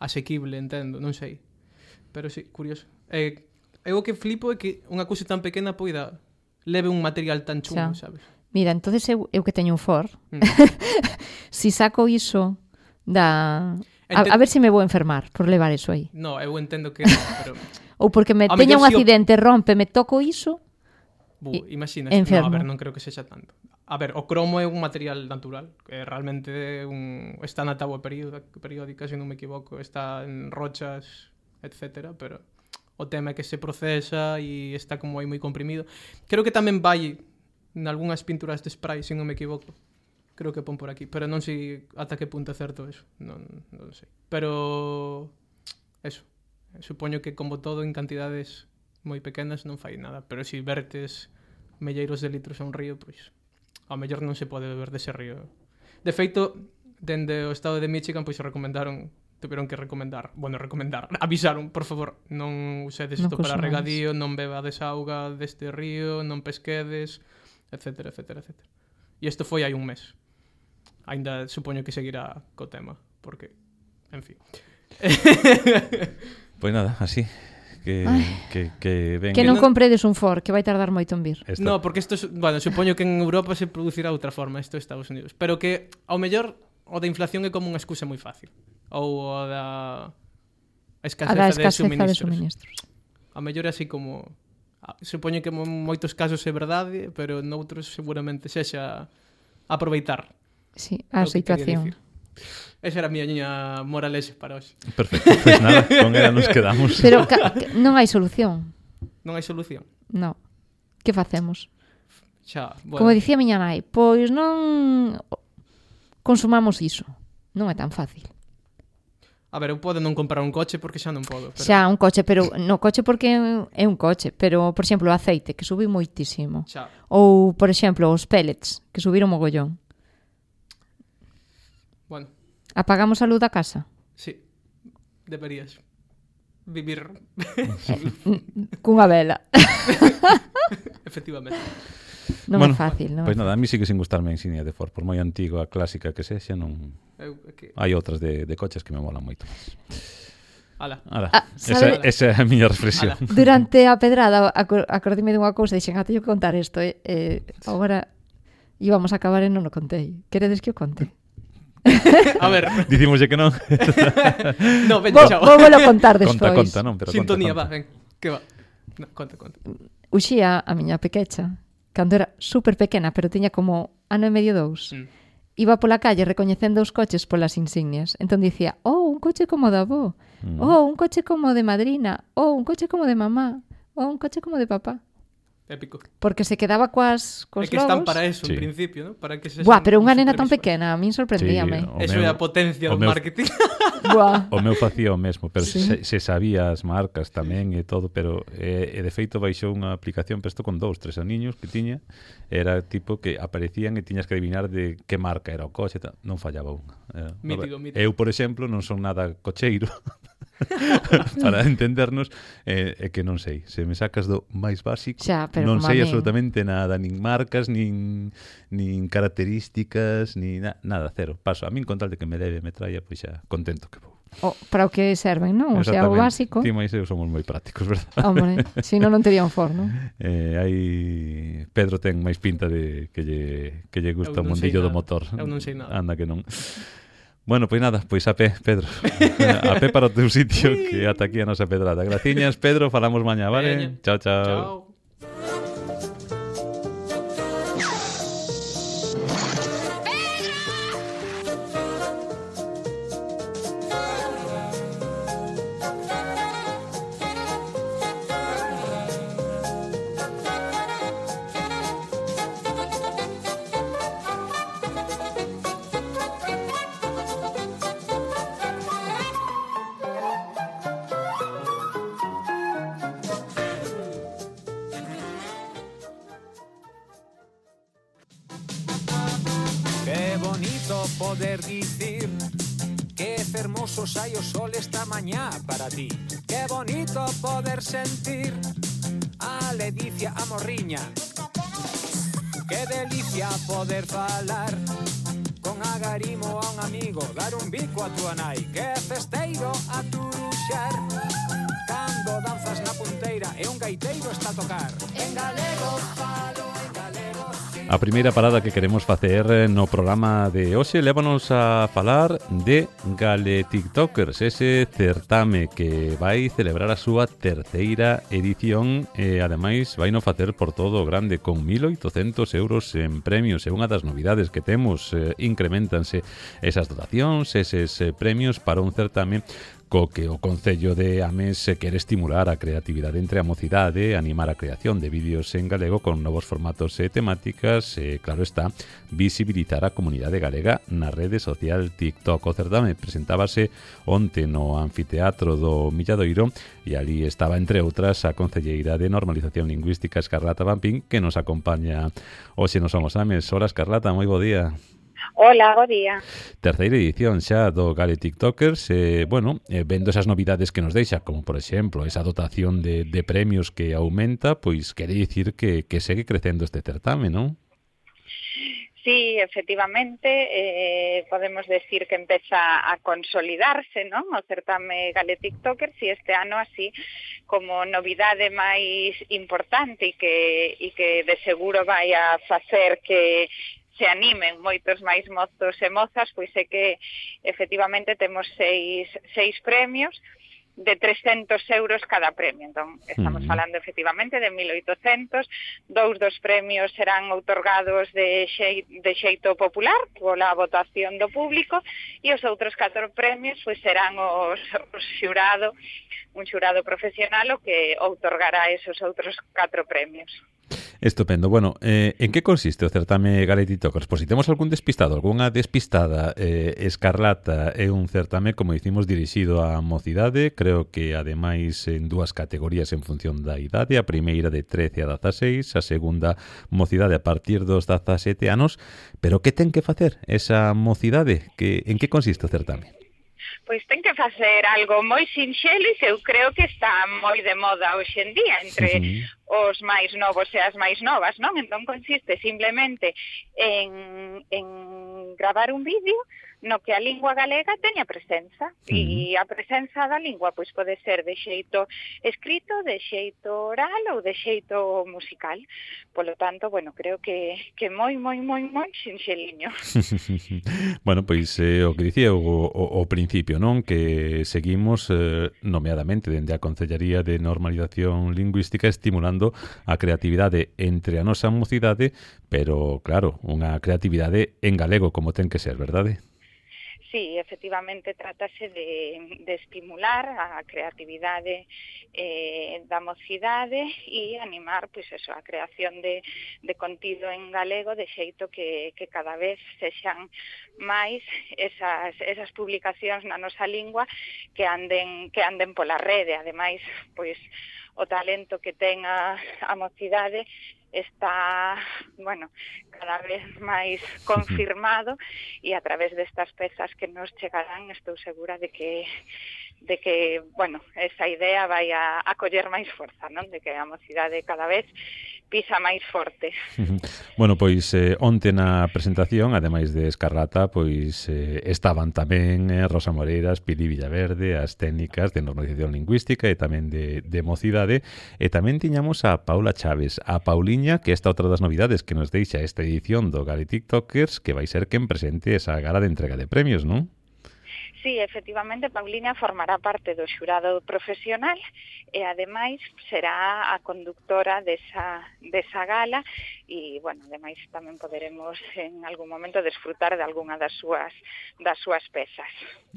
asequible, entendo, non sei. Pero sí, curioso. É, é o que flipo é que unha cousa tan pequena poida leve un material tan chungo, Xa. sabes? Mira, entonces eu, eu que teño un Ford, Mm. si saco iso da... A, Enten- a ver se me vou enfermar por levar iso aí. No, eu entendo que non, pero... Ou porque me A teña mellor un si o- accidente, rompe, me toco iso. Bu, I- imaginas, enfermo. no, a ver, non creo que sexa tanto. A ver, o cromo é un material natural, que realmente é un está na táboa periódica, periódica, se non me equivoco, está en rochas, etcétera, pero o tema é que se procesa e está como aí moi comprimido. Creo que tamén vai en algunhas pinturas de spray, se non me equivoco. Creo que pon por aquí, pero non sei ata que punto é certo eso, non, non sei. Pero eso, supoño que como todo en cantidades moi pequenas non fai nada, pero se si vertes milleiros de litros a un río, pois ao mellor non se pode beber dese río. De feito, dende o estado de Michigan, pois recomendaron, tuveron que recomendar, bueno, recomendar, avisaron, por favor, non usedes Non isto para consumáis. regadío, non bebades auga deste río, non pesquedes, etcétera, etcétera, etcétera. E isto foi hai un mes. Ainda supoño que seguirá co tema, porque, en fin. Pois nada, así que Ai. que que ven Que non non- compredes un Ford, que vai tardar moito en vir. esta- No, porque isto, es- bueno, supoño que en Europa se producirá de outra forma, isto é Estados Unidos, pero que ao mellor o da inflación é como unha excusa moi fácil. Ou o da a escaseza, A da de, escaseza suministros. de suministros. A mellor é así como... Supoño que en moitos casos é verdade, pero noutros seguramente sexa aproveitar. Sí, a situación. Esa era a miña moralexa para hoxe. Perfecto, pois pues nada, con ela nos quedamos. Pero ca- non hai solución. Non hai solución. Non. Que facemos? Xa, bueno. Como dicía miña nai, pois non consumamos iso. Non é tan fácil. A ver, eu podo non comprar un coche porque xa non podo. Pero... Xa, un coche, pero no coche porque é un coche, pero, por exemplo, o aceite, que subiu moitísimo. Xa. Ou, por exemplo, os pellets, que subiron mogollón. Bueno. Apagamos a luz da casa? Sí. Deberías vivir cunha vela. Efectivamente. Non bueno, é fácil, non? Pois pues nada, a mí sigue sin gustarme a insignia de Ford, por moi antiga, clásica que sexa, non... Eu, que... Hai outras de, de coches que me molan moito máis. Ala. Ala. Ah, esa, esa é a miña reflexión. Ala. Durante a pedrada acordime dunha cousa, dixen, ah, teño que contar isto, eh? eh agora íbamos a acabar e non o contei. Queredes que o conte? A ver. Dicimoslle que non. No, ven, Bo, chao. vou volo contar despois. Conta, conta, non, pero Sintonía, conta, conta. va, ven. Que va. No, conta, conta. Uxía, a miña pequecha, cando era super pequena, pero tiña como ano e medio dous, Mm. iba pola calle recoñecendo os coches polas insignias. Entón dicía, oh, un coche como de avó, Mm. oh, un coche como de madrina, oh, un coche como de mamá, oh, un coche como de papá. Épico. Porque se quedaba coas, cos É que están logos. para eso, Sí. en principio, ¿no? Para que se Buah, pero unha nena tan supervisores. pequena, a min sorprendíame. Sí, o Eso meu- é a potencia o do meu- marketing. Buah. O meu facía o mesmo, pero Sí. se, se sabía as marcas tamén e todo, pero eh, e de feito baixou unha aplicación, pero isto con dous, tres aniños que tiña, era tipo que aparecían e tiñas que adivinar de que marca era o coche, tal. Non fallaba unha. Era, Mítico, mítico. Eu, por exemplo, non son nada cocheiro, para entendernos, é eh, eh, que non sei, se me sacas do máis básico, Xa, pero non como a sei min. absolutamente nada, nin marcas, nin nin características, ni na, nada, cero. Paso, a min con tal de que me leve, me traia, pois xa contento que vou. O, para o que serven, non? O sea, o Exactamente. básico. Ti máis eu somos moi prácticos, verdad? Hombre, se non, non tería un forno. Eh, aí Pedro ten máis pinta de que lle, que lle gusta Eu o non sei mundillo do nada. motor. Eu non sei nada. Anda que non. Bueno, pois nada, pois a pé, Pedro. A pé para o teu sitio, que ata aquí a nosa pedrada. Graciñas, Pedro, falamos mañá, vale? Veña. Chao, chao. Chao. Qué bonito poder dicir que fermoso hai o sol esta mañá para ti. Qué bonito poder sentir a ledicia a morriña. Qué delicia poder falar con agarimo a un amigo, dar un bico a tua nai. Qué festeiro a turuxar cando danzas na punteira e un gaiteiro está a tocar. En galego falo, en galego sí. A primeira parada que queremos facer no programa de hoxe lévanos a falar de Gale TikTokers, ese certame que vai celebrar a súa terceira edición e ademais vai no facer por todo o grande con mil oitocentos euros en premios. E unha das novidades que temos, eh, incrementanse esas dotacións, eses eh, premios para un certame co que o Concello de Ames se quere estimular a creatividade entre a mocidade, animar a creación de vídeos en galego con novos formatos e temáticas e, claro está, visibilizar a comunidade galega na rede social TikTok. O certame presentábase onte no anfiteatro do Milladoiro e ali estaba, entre outras, a concelleira de Normalización Lingüística Escarlata Vampín, que nos acompaña hoxe nos Somos Ames. Hola, Escarlata, moi bo día. Hola, bo día. Terceira edición xa do Gale TikTokers, eh, bueno, eh, vendo esas novidades que nos deixa, como por exemplo esa dotación de, de premios que aumenta, pois quere dicir que, que segue crecendo este certame, non? Sí, efectivamente, eh, podemos decir que empeza a consolidarse, non? O certame Gale TikTokers e este ano así como novidade máis importante e que, e que de seguro vai a facer que se animen moitos máis mozos e mozas, pois é que efectivamente temos seis, seis premios de trescentos euros cada premio. Entón, estamos Mm. falando efectivamente de mil oitocentos. Dous dos premios serán outorgados de, xei, de xeito popular pola votación do público e os outros catro premios pois serán os, os xurado, un xurado profesional o que outorgará esos outros catro premios. Estupendo. Bueno, eh, en que consiste o certame Galetiktokers? Pois si temos algún despistado, algunha despistada, eh, Escarlata é un certame, como dicimos, dirixido á mocidade, creo que ademais en dúas categorías en función da idade, a primeira de trece a dezaseis, a segunda mocidade a partir dos dezasete anos, pero que ten que facer esa mocidade? Que, en que consiste o certame? Pois ten que facer algo moi sinxelo e eu creo que está moi de moda hoxe en día entre uh-huh. os máis novos e as máis novas, non? Entón consiste simplemente en, en gravar un vídeo no que a lingua galega teña presenza uh-huh. e a presenza da lingua pois pode ser de xeito escrito, de xeito oral ou de xeito musical. Polo tanto, bueno, creo que que moi, moi, moi, moi sinxeliño. Bueno, pois eh, o que dicía o, o, o principio, non? Que seguimos eh, nomeadamente dende a Concellaría de Normalización Lingüística estimulando a creatividade entre a nosa mocidade, pero claro, unha creatividade en galego como ten que ser, verdade? Sí, efectivamente, trátase de, de estimular a creatividade eh, da mocidade e animar pois eso, a creación de, de contido en galego de xeito que, que cada vez sexan máis esas, esas publicacións na nosa lingua que anden, que anden pola rede. Ademais, pois, o talento que ten a, a mocidade está, bueno, cada vez máis confirmado e a través destas pezas que nos chegarán estou segura de que de que, bueno, esa idea vai a, a coller máis forza, non? De que a mocidade cada vez pisa máis forte. Bueno, pois eh, onte na presentación, ademais de Escarlata, pois eh, estaban tamén eh, Rosa Moreiras, Pili Villaverde, as técnicas de normalización lingüística e tamén de, de mocidade, e tamén tiñamos a Paula Chaves, a Pauliña, que esta outra das novidades que nos deixa esta edición do Galetiktokers, que vai ser quen presente esa gala de entrega de premios, non? Sí, efectivamente, Pauliña formará parte do xurado profesional e, ademais, será a conductora desa, desa gala e, bueno, ademais tamén poderemos en algún momento desfrutar de algunha das súas, das súas pezas.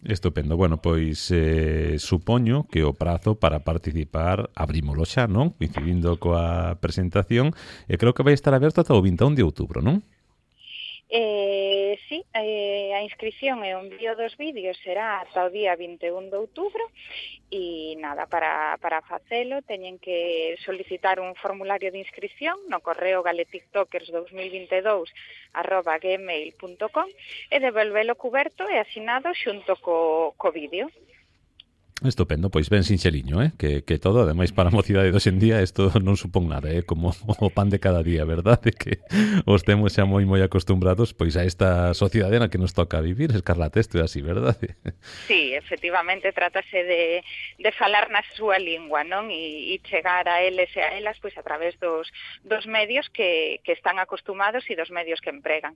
Estupendo. Bueno, pois eh, supoño que o prazo para participar abrímolo xa, non? Coincidindo coa presentación, e creo que vai estar aberto ata o vinte e un de outubro, non? Eh, sí, eh, a inscripción e o envío dos vídeos será ata o día vinte e un de outubro e nada, para, para facelo teñen que solicitar un formulario de inscripción no correo galetiktokers dos mil vinte e dous arroba gmail punto com e devolvelo cuberto e asinado xunto co, co vídeo. Estupendo, pois ben sinxeliño, eh? que, que todo, ademais para a mocidade de hoxe en día isto non supón nada, eh? Como o pan de cada día, verdade? Que os temos xa moi moi acostumbrados pois a esta sociedade na que nos toca vivir, Escarlata, isto é así, verdade? Sí, efectivamente, trátase de, de falar na súa lingua, non? E, e chegar a eles e a elas pois a través dos, dos medios que, que están acostumados e dos medios que empregan.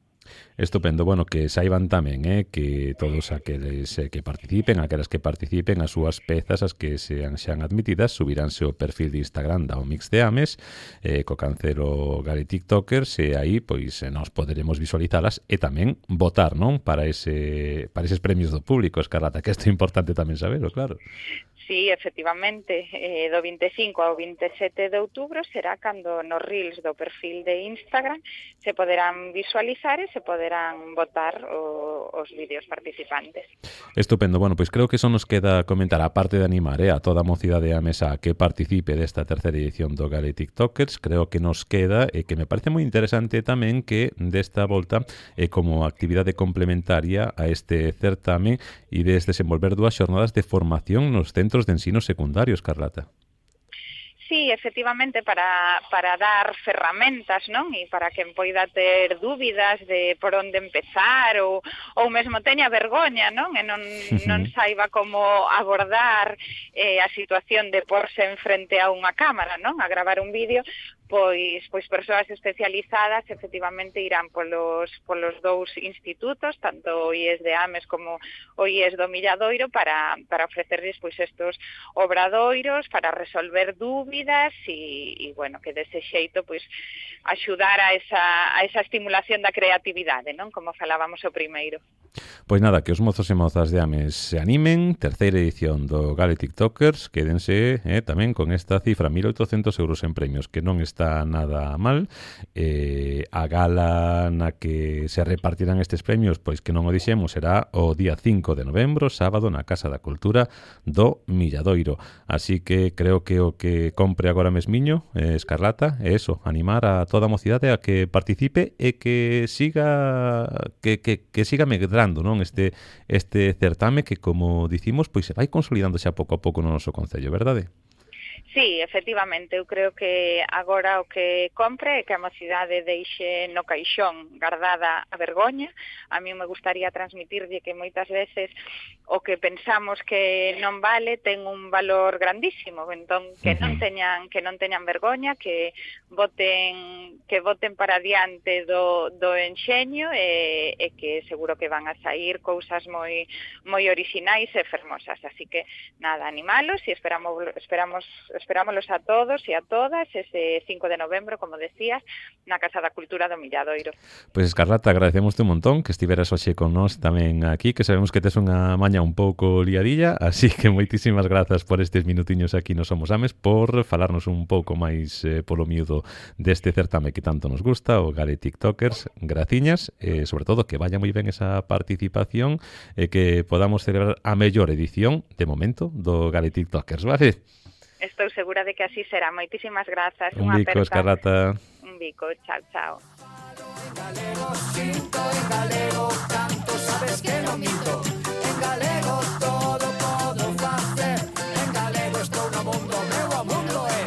Estupendo, bueno, que saiban tamén, eh? Que todos aqueles eh, que participen, aquelas que participen, as súas pezas, as que sean xan admitidas, subiránse o perfil de Instagram da O Mix de Ames, eh, co cancelo Galetiktokers, e aí pois nos poderemos visualizalas e tamén votar, non? Para ese para eses premios do público, Escarlata, que isto é importante tamén sabelo, claro. Sí, efectivamente, eh, do vinte e cinco ao vinte e sete de outubro será cando nos reels do perfil de Instagram se poderán visualizar e se poderán votar o, os vídeos participantes. Estupendo, bueno, pois creo que eso nos queda comentar, a parte de animar eh, a toda a mocidade a mesa a que participe desta terceira edición do Galetiktokers, creo que nos queda, e que me parece moi interesante tamén, que desta volta é eh, como actividade complementaria a este certame e des desenvolver dúas xornadas de formación nos centros de ensino secundario, Escarlata. Sí, sí, efectivamente, para, para dar ferramentas, non? E para quen poida ter dúbidas de por onde empezar ou, ou mesmo teña vergoña, non? E non, non saiba como abordar eh, a situación de porse en frente a unha cámara, non? A gravar un vídeo, pois pois persoas especializadas efectivamente irán polos polos dous institutos, tanto o I E S de Ames como o I E S do Milladoiro, para para ofrecerles pois estos obradoiros para resolver dúbidas e, e bueno, que dese xeito pois axudar a esa a esa estimulación da creatividade, non? Como falábamos o primeiro. Pois nada, que os mozos e mozas de Ames se animen, terceira edición do Gale TikTokers, quédense eh, tamén con esta cifra, mil oitocentos euros en premios, que non está nada mal. Eh, a gala na que se repartirán estes premios, pois que non o dixemos, será o día cinco de novembro, sábado, na Casa da Cultura do Milladoiro. Así que creo que o que compre agora mesmiño, eh, Escarlata, é eso, animar a toda a mocidade a que participe e que siga que, que, que siga medrando, non, este este certame que, como dicimos, pois se vai consolidando xa pouco a pouco no noso concello, verdade? Sí, efectivamente, eu creo que agora o que compre é que a mocidade deixe no caixón guardada a vergoña. A mí me gustaría transmitirlle que moitas veces o que pensamos que non vale ten un valor grandísimo, entón que non teñan que non teñan vergoña, que voten que voten para diante do, do enxeño e, e que seguro que van a sair cousas moi moi orixinais e fermosas, así que nada, animalos e esperamos esperamos Esperámoslos a todos e a todas ese cinco de novembro, como decías, na Casa da Cultura do Milladoiro. Pois, Escarlata, agradecemos un montón que estiveras hoxe con nós tamén aquí, que sabemos que tes unha maña un pouco liadilla, así que moitísimas grazas por estes minutiños aquí no Somos Ames, por falarnos un pouco máis eh, polo miúdo deste certame que tanto nos gusta, o Gale TikTokers. Graciñas, e sobre todo que vaya moi ben esa participación e que podamos celebrar a mellor edición, de momento, do Gale TikTokers, vale? Estou segura de que así será. Moitísimas grazas. Un bico, Escarlata. Un bico, chao, chao. En galego sinto, en galego canto, sabes que non minto. En galego todo podo facer. En galego estou no mundo, meu o mundo é.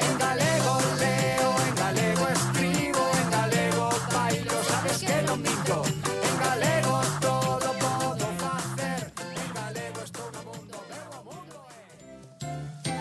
En galego leo, en galego escribo, en galego bailo, sabes que non minto. En galego todo podo facer. En galego estou no mundo, meu o mundo é.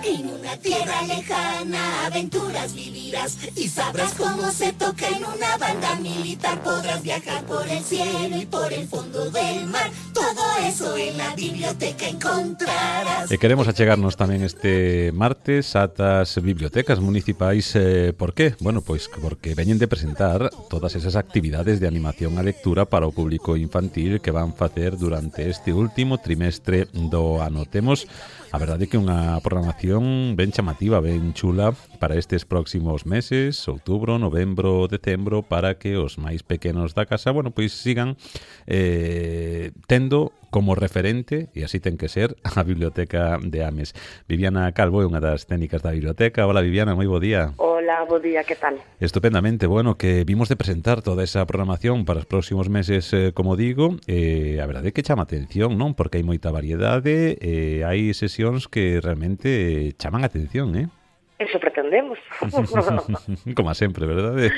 En una tierra lejana aventuras vivirás y sabrás cómo se toca en una banda militar. Podrás viajar por el cielo y por el fondo del mar. Todo eso en la biblioteca encontrarás. E queremos achegarnos tamén este martes atas bibliotecas municipais. Eh, por qué? Bueno, pois porque veñen de presentar todas esas actividades de animación a lectura para o público infantil que van facer durante este último trimestre do ano. Temos a verdade que unha programación ben chamativa, ben chula para estes próximos meses, outubro, novembro, decembro, para que os máis pequenos da casa, bueno, pois sigan eh, tendo como referente, e así ten que ser, a Biblioteca de Ames. Viviana Calvo é unha das técnicas da biblioteca. Hola, Viviana, moi bo día. Hola, bo día, que tal? Estupendamente, bueno, que vimos de presentar toda esa programación para os próximos meses, eh, como digo, eh, a verdade é que chama atención, non? Porque hai moita variedade, eh, hai sesións que realmente chaman atención, eh? Eso pretendemos. Como sempre, verdade?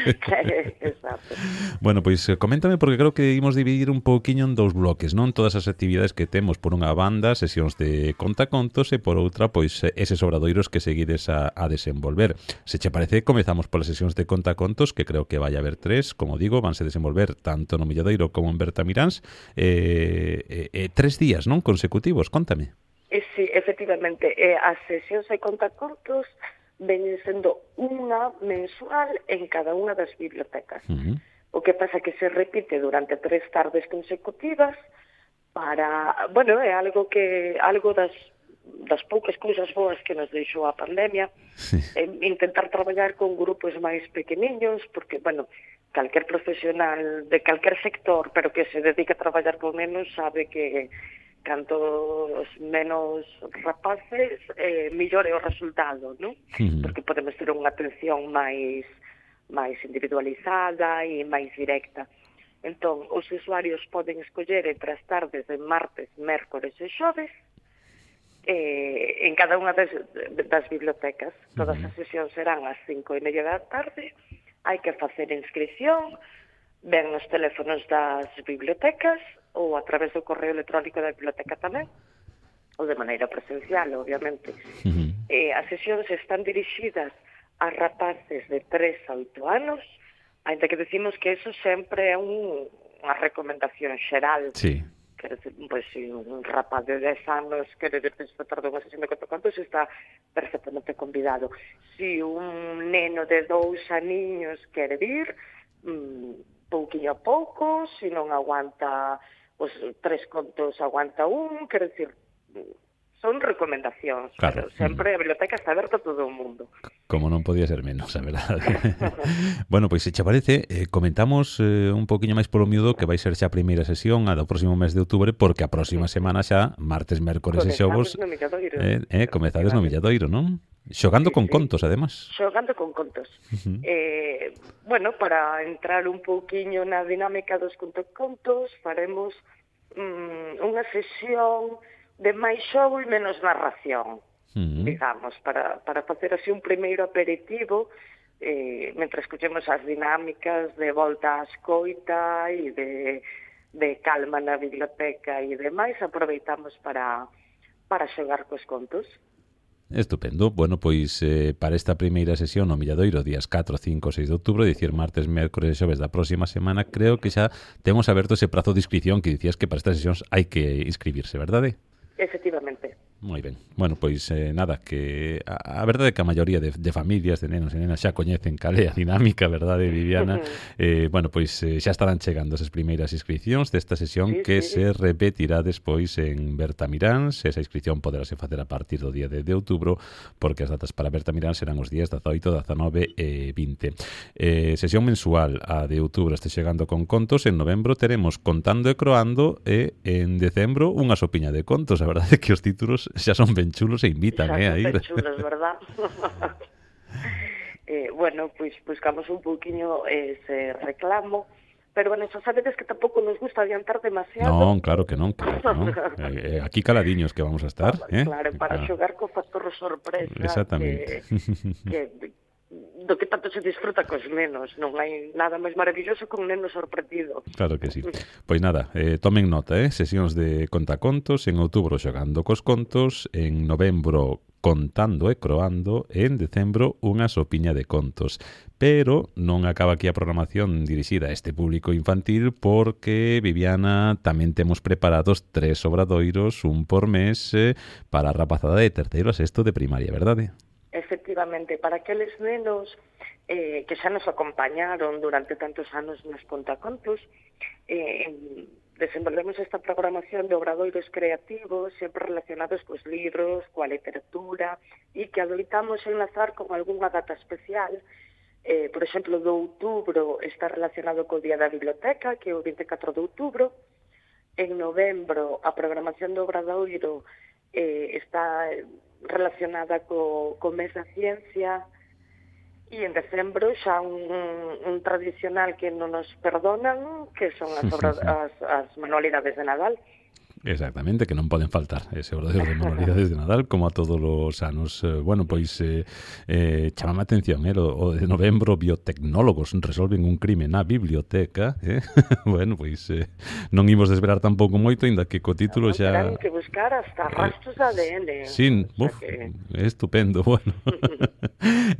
Exacto. Bueno, pois coméntame, porque creo que imos dividir un pouquiño en dous bloques, non? Todas as actividades que temos, por unha banda, sesións de contacontos, e por outra, pois, eses obradoiros que seguides a, a desenvolver. Se che parece, comezamos polas sesións de contacontos, que creo que vai haber tres, como digo, vanse desenvolver tanto no Milladoiro como en Bertamiráns, eh, eh, eh, tres días, non? Consecutivos, contame. E, sí, efectivamente, eh, as sesións de contacontos veñen sendo unha mensual en cada unha das bibliotecas. Uh-huh. O que pasa que se repite durante tres tardes consecutivas para, bueno, é algo que algo das das poucas cousas boas que nos deixou a pandemia, sí. eh, intentar traballar con grupos máis pequeniños, porque, bueno, calquer profesional de calquer sector, pero que se dedica a traballar con menos, sabe que cantos menos rapaces, eh, millor é o resultado, non? Uh-huh. Porque podemos ter unha atención máis máis individualizada e máis directa. Entón, os usuarios poden escoller entre as tardes de martes, mércores e xoves, eh, en cada unha das, das bibliotecas. Todas as sesións serán ás cinco e media da tarde, hai que facer inscripción, ven nos teléfonos das bibliotecas ou a través do correo electrónico da biblioteca tamén, ou de maneira presencial, obviamente. Uh-huh. Eh, as sesións están dirixidas a rapaces de tres a oito anos, ainda que decimos que eso sempre é un, unha recomendación xeral. Sí. Quer dizer, pois, se un rapaz de dez anos quere disfrutar dunha sesión de contacontos, está perfectamente convidado. Se un neno de dous aniños quere vir, mmm, pouquinho a pouco, se non aguanta os tres contos, aguanta un, quer dizer, son recomendacións, claro. Pero sempre a biblioteca está aberta a todo o mundo. Como non podía ser menos, a verdade. Bueno, pois se che parece, eh, comentamos eh, un poquinho máis polo miúdo que vai ser xa a primeira sesión a do próximo mes de outubro, porque a próxima semana xa, martes, mércores e xogos, no Milladoiro. eh, eh, comezades no Milladoiro, non? Xogando sí, con sí. contos, además. Xogando con contos. Uh-huh. eh, bueno, para entrar un pouquiño na dinámica dos contos, faremos mm, unha sesión de máis xogo e menos narración, uh-huh. digamos, para, para facer así un primeiro aperitivo, eh, mentre escuchemos as dinámicas de volta á escoita e de, de calma na biblioteca e demais, aproveitamos para, para xogar cos contos. Estupendo. Bueno, pois eh, para esta primeira sesión no Milladoiro, días catro, cinco, seis de outubro, dicir martes, mércores e xoves da próxima semana, creo que xa temos aberto ese prazo de inscripción que dicías que para estas sesións hai que inscribirse, verdade? Efectivamente. Moi ben. Bueno, pois eh, nada, que a, a verdade é que a maioría de, de familias, de nenos e nenas xa coñecen cal é a dinámica, verdade, Viviana? eh, bueno, pois eh, xa estarán chegando esas primeiras inscripcións desta sesión sí, que sí. se repetirá despois en Bertamiráns. Esa inscripción poderase facer a partir do día de, de outubro, porque as datas para Bertamiráns serán os días dezaoito, dezanove e vinte. Eh, sesión mensual, a de outubro este chegando con contos, en novembro teremos Contando e Croando e en decembro unha sopiña de contos. A verdade é que os títulos xa son ben chulos e invitan, xa eh, a ir. Xa son ben chulos, verdad? eh, bueno, pois pues, buscamos un pouquiño ese reclamo, pero bueno, xa sabedes que tampouco nos gusta adiantar demasiado. Non, claro que non, claro que non. eh, aquí caladiños que vamos a estar, eh? Claro, para claro. xogar co factor sorpresa. Exactamente. Que, que do que tanto se disfruta cos nenos, non hai nada máis maravilloso que un neno sorprendido. Claro que sí. Pois nada, eh, tomen nota, eh, sesións de contacontos, en outubro xogando cos contos, en novembro contando e croando, e en decembro unha sopiña de contos. Pero non acaba aquí a programación dirixida a este público infantil, porque, Viviana, tamén temos preparados tres obradoiros, un por mes, eh, para a rapazada de terceiro a sexto de primaria, verdade? Efectivamente, para aqueles nenos eh, que xa nos acompañaron durante tantos anos nos contacontos, eh, desenvolvemos esta programación de obradoiros creativos, sempre relacionados cos libros, coa literatura, e que adoitamos enlazar con algunha data especial. Eh, por exemplo, do outubro está relacionado co Día da Biblioteca, que é o vinte e catro de outubro. En novembro, a programación do obradoiro eh, está relacionada co, co mes da ciencia, e en decembro xa un, un tradicional que non nos perdonan, que son as, obras, as, as manualidades de Nadal. Exactamente, que non poden faltar ese obradoiro de manualidades de Nadal, como a todos os anos. Eh, bueno, pois eh, eh, chamame a atención, eh, o, o de novembro, biotecnólogos resolven un crime na biblioteca, eh? Bueno, pois eh, non imos desvelar tampouco moito, ainda que co título xa... Terán que buscar hasta rastros de A D N. Sí, uf, que... estupendo, bueno.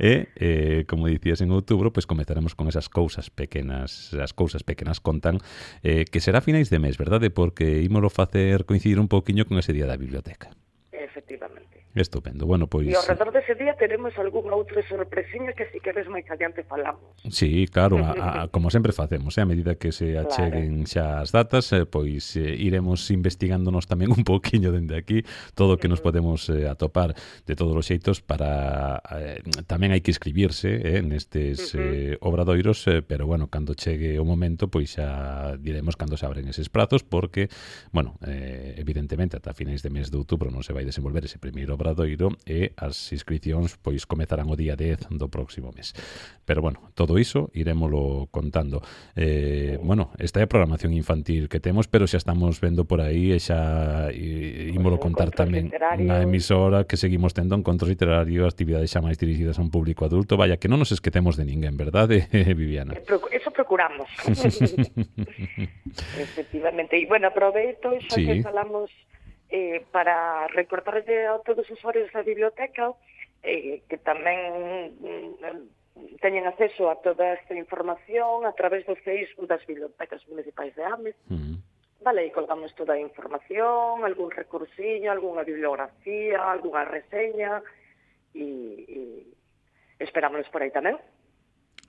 E, eh, como dicías, en outubro, pois comezaremos con esas cousas pequenas, as cousas pequenas contan, eh, que será a finais de mes, verdade? Porque ímolo facer coincidir un pouquiño con ese día da biblioteca. Efectivamente. Estupendo. Bueno, pois... E ao redor dese día teremos algún outro sorpresiño que si queres máis adiante falamos. Sí, claro, a, a, como sempre facemos, eh, a medida que se acheguen claro. xa as datas, eh, pois eh, iremos investigándonos tamén un pouquiño dende aquí todo o que nos podemos eh, atopar de todos os xeitos para... Eh, tamén hai que inscribirse eh, nestes eh, obradoiros, eh, pero bueno, cando chegue o momento, pois xa diremos cando se abren eses prazos, porque, bueno, eh, evidentemente, ata finais de mes de outubro non se vai desenvolver ese primeiro Obradoiro e as inscripcións pois comezarán o día dez do próximo mes. Pero bueno, todo iso irémolo contando. Eh, bueno, esta é a programación infantil que temos, pero xa estamos vendo por aí e xa e, ímolo contar tamén na emisora que seguimos tendo encontros literarios, actividades xa máis dirigidas a un público adulto. Vaya, que non nos esquecemos de ninguén, verdade, Viviana? Eso procuramos. Efectivamente. E, bueno, aproveito xa sí. que falamos eh, para recordarle a todos os usuarios da biblioteca eh, que tamén mm, teñen acceso a toda esta información a través do Facebook das bibliotecas municipais de Ames. Mm. Vale, e colgamos toda a información, algún recursiño, algunha bibliografía, algunha reseña e, e esperámonos por aí tamén.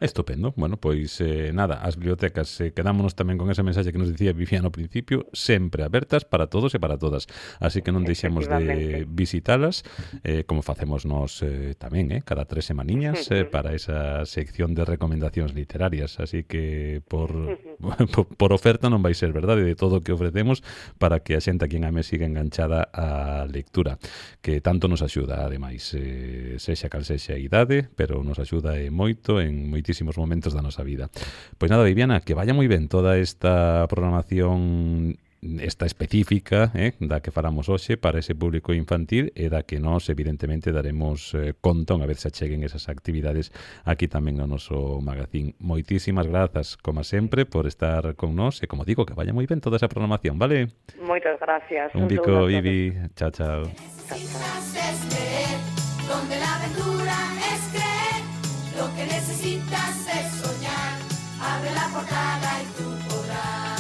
Estupendo. Bueno, pois eh, nada, as bibliotecas eh, quedámonos tamén con ese mensaxe que nos dicía Viviana ao principio, sempre abertas para todos e para todas. Así que non deixemos de visitalas, eh, como facemos nos eh, tamén, eh, cada tres semaniñas eh, para esa sección de recomendacións literarias. Así que por, por, por oferta non vai ser, verdade, de todo o que ofrecemos para que a xente aquí en Ames siga enganchada á lectura, que tanto nos axuda, ademais, eh, sexa cal sexa a idade, pero nos axuda e moito en moitísimos momentos da nosa vida. Pois nada, Viviana, que vaya moi ben toda esta programación esta específica eh, da que falamos hoxe para ese público infantil e da que nós evidentemente daremos eh, conta unha vez se acheguen esas actividades aquí tamén no noso magazín. Moitísimas grazas, como sempre, por estar con nós e, como digo, que vaya moi ben toda esa programación, vale? Moitas gracias. Un bico, Vivi. Chao, chao. Donde la aventura es creer, lo que necesitas es soñar, abre la portada y tú podrás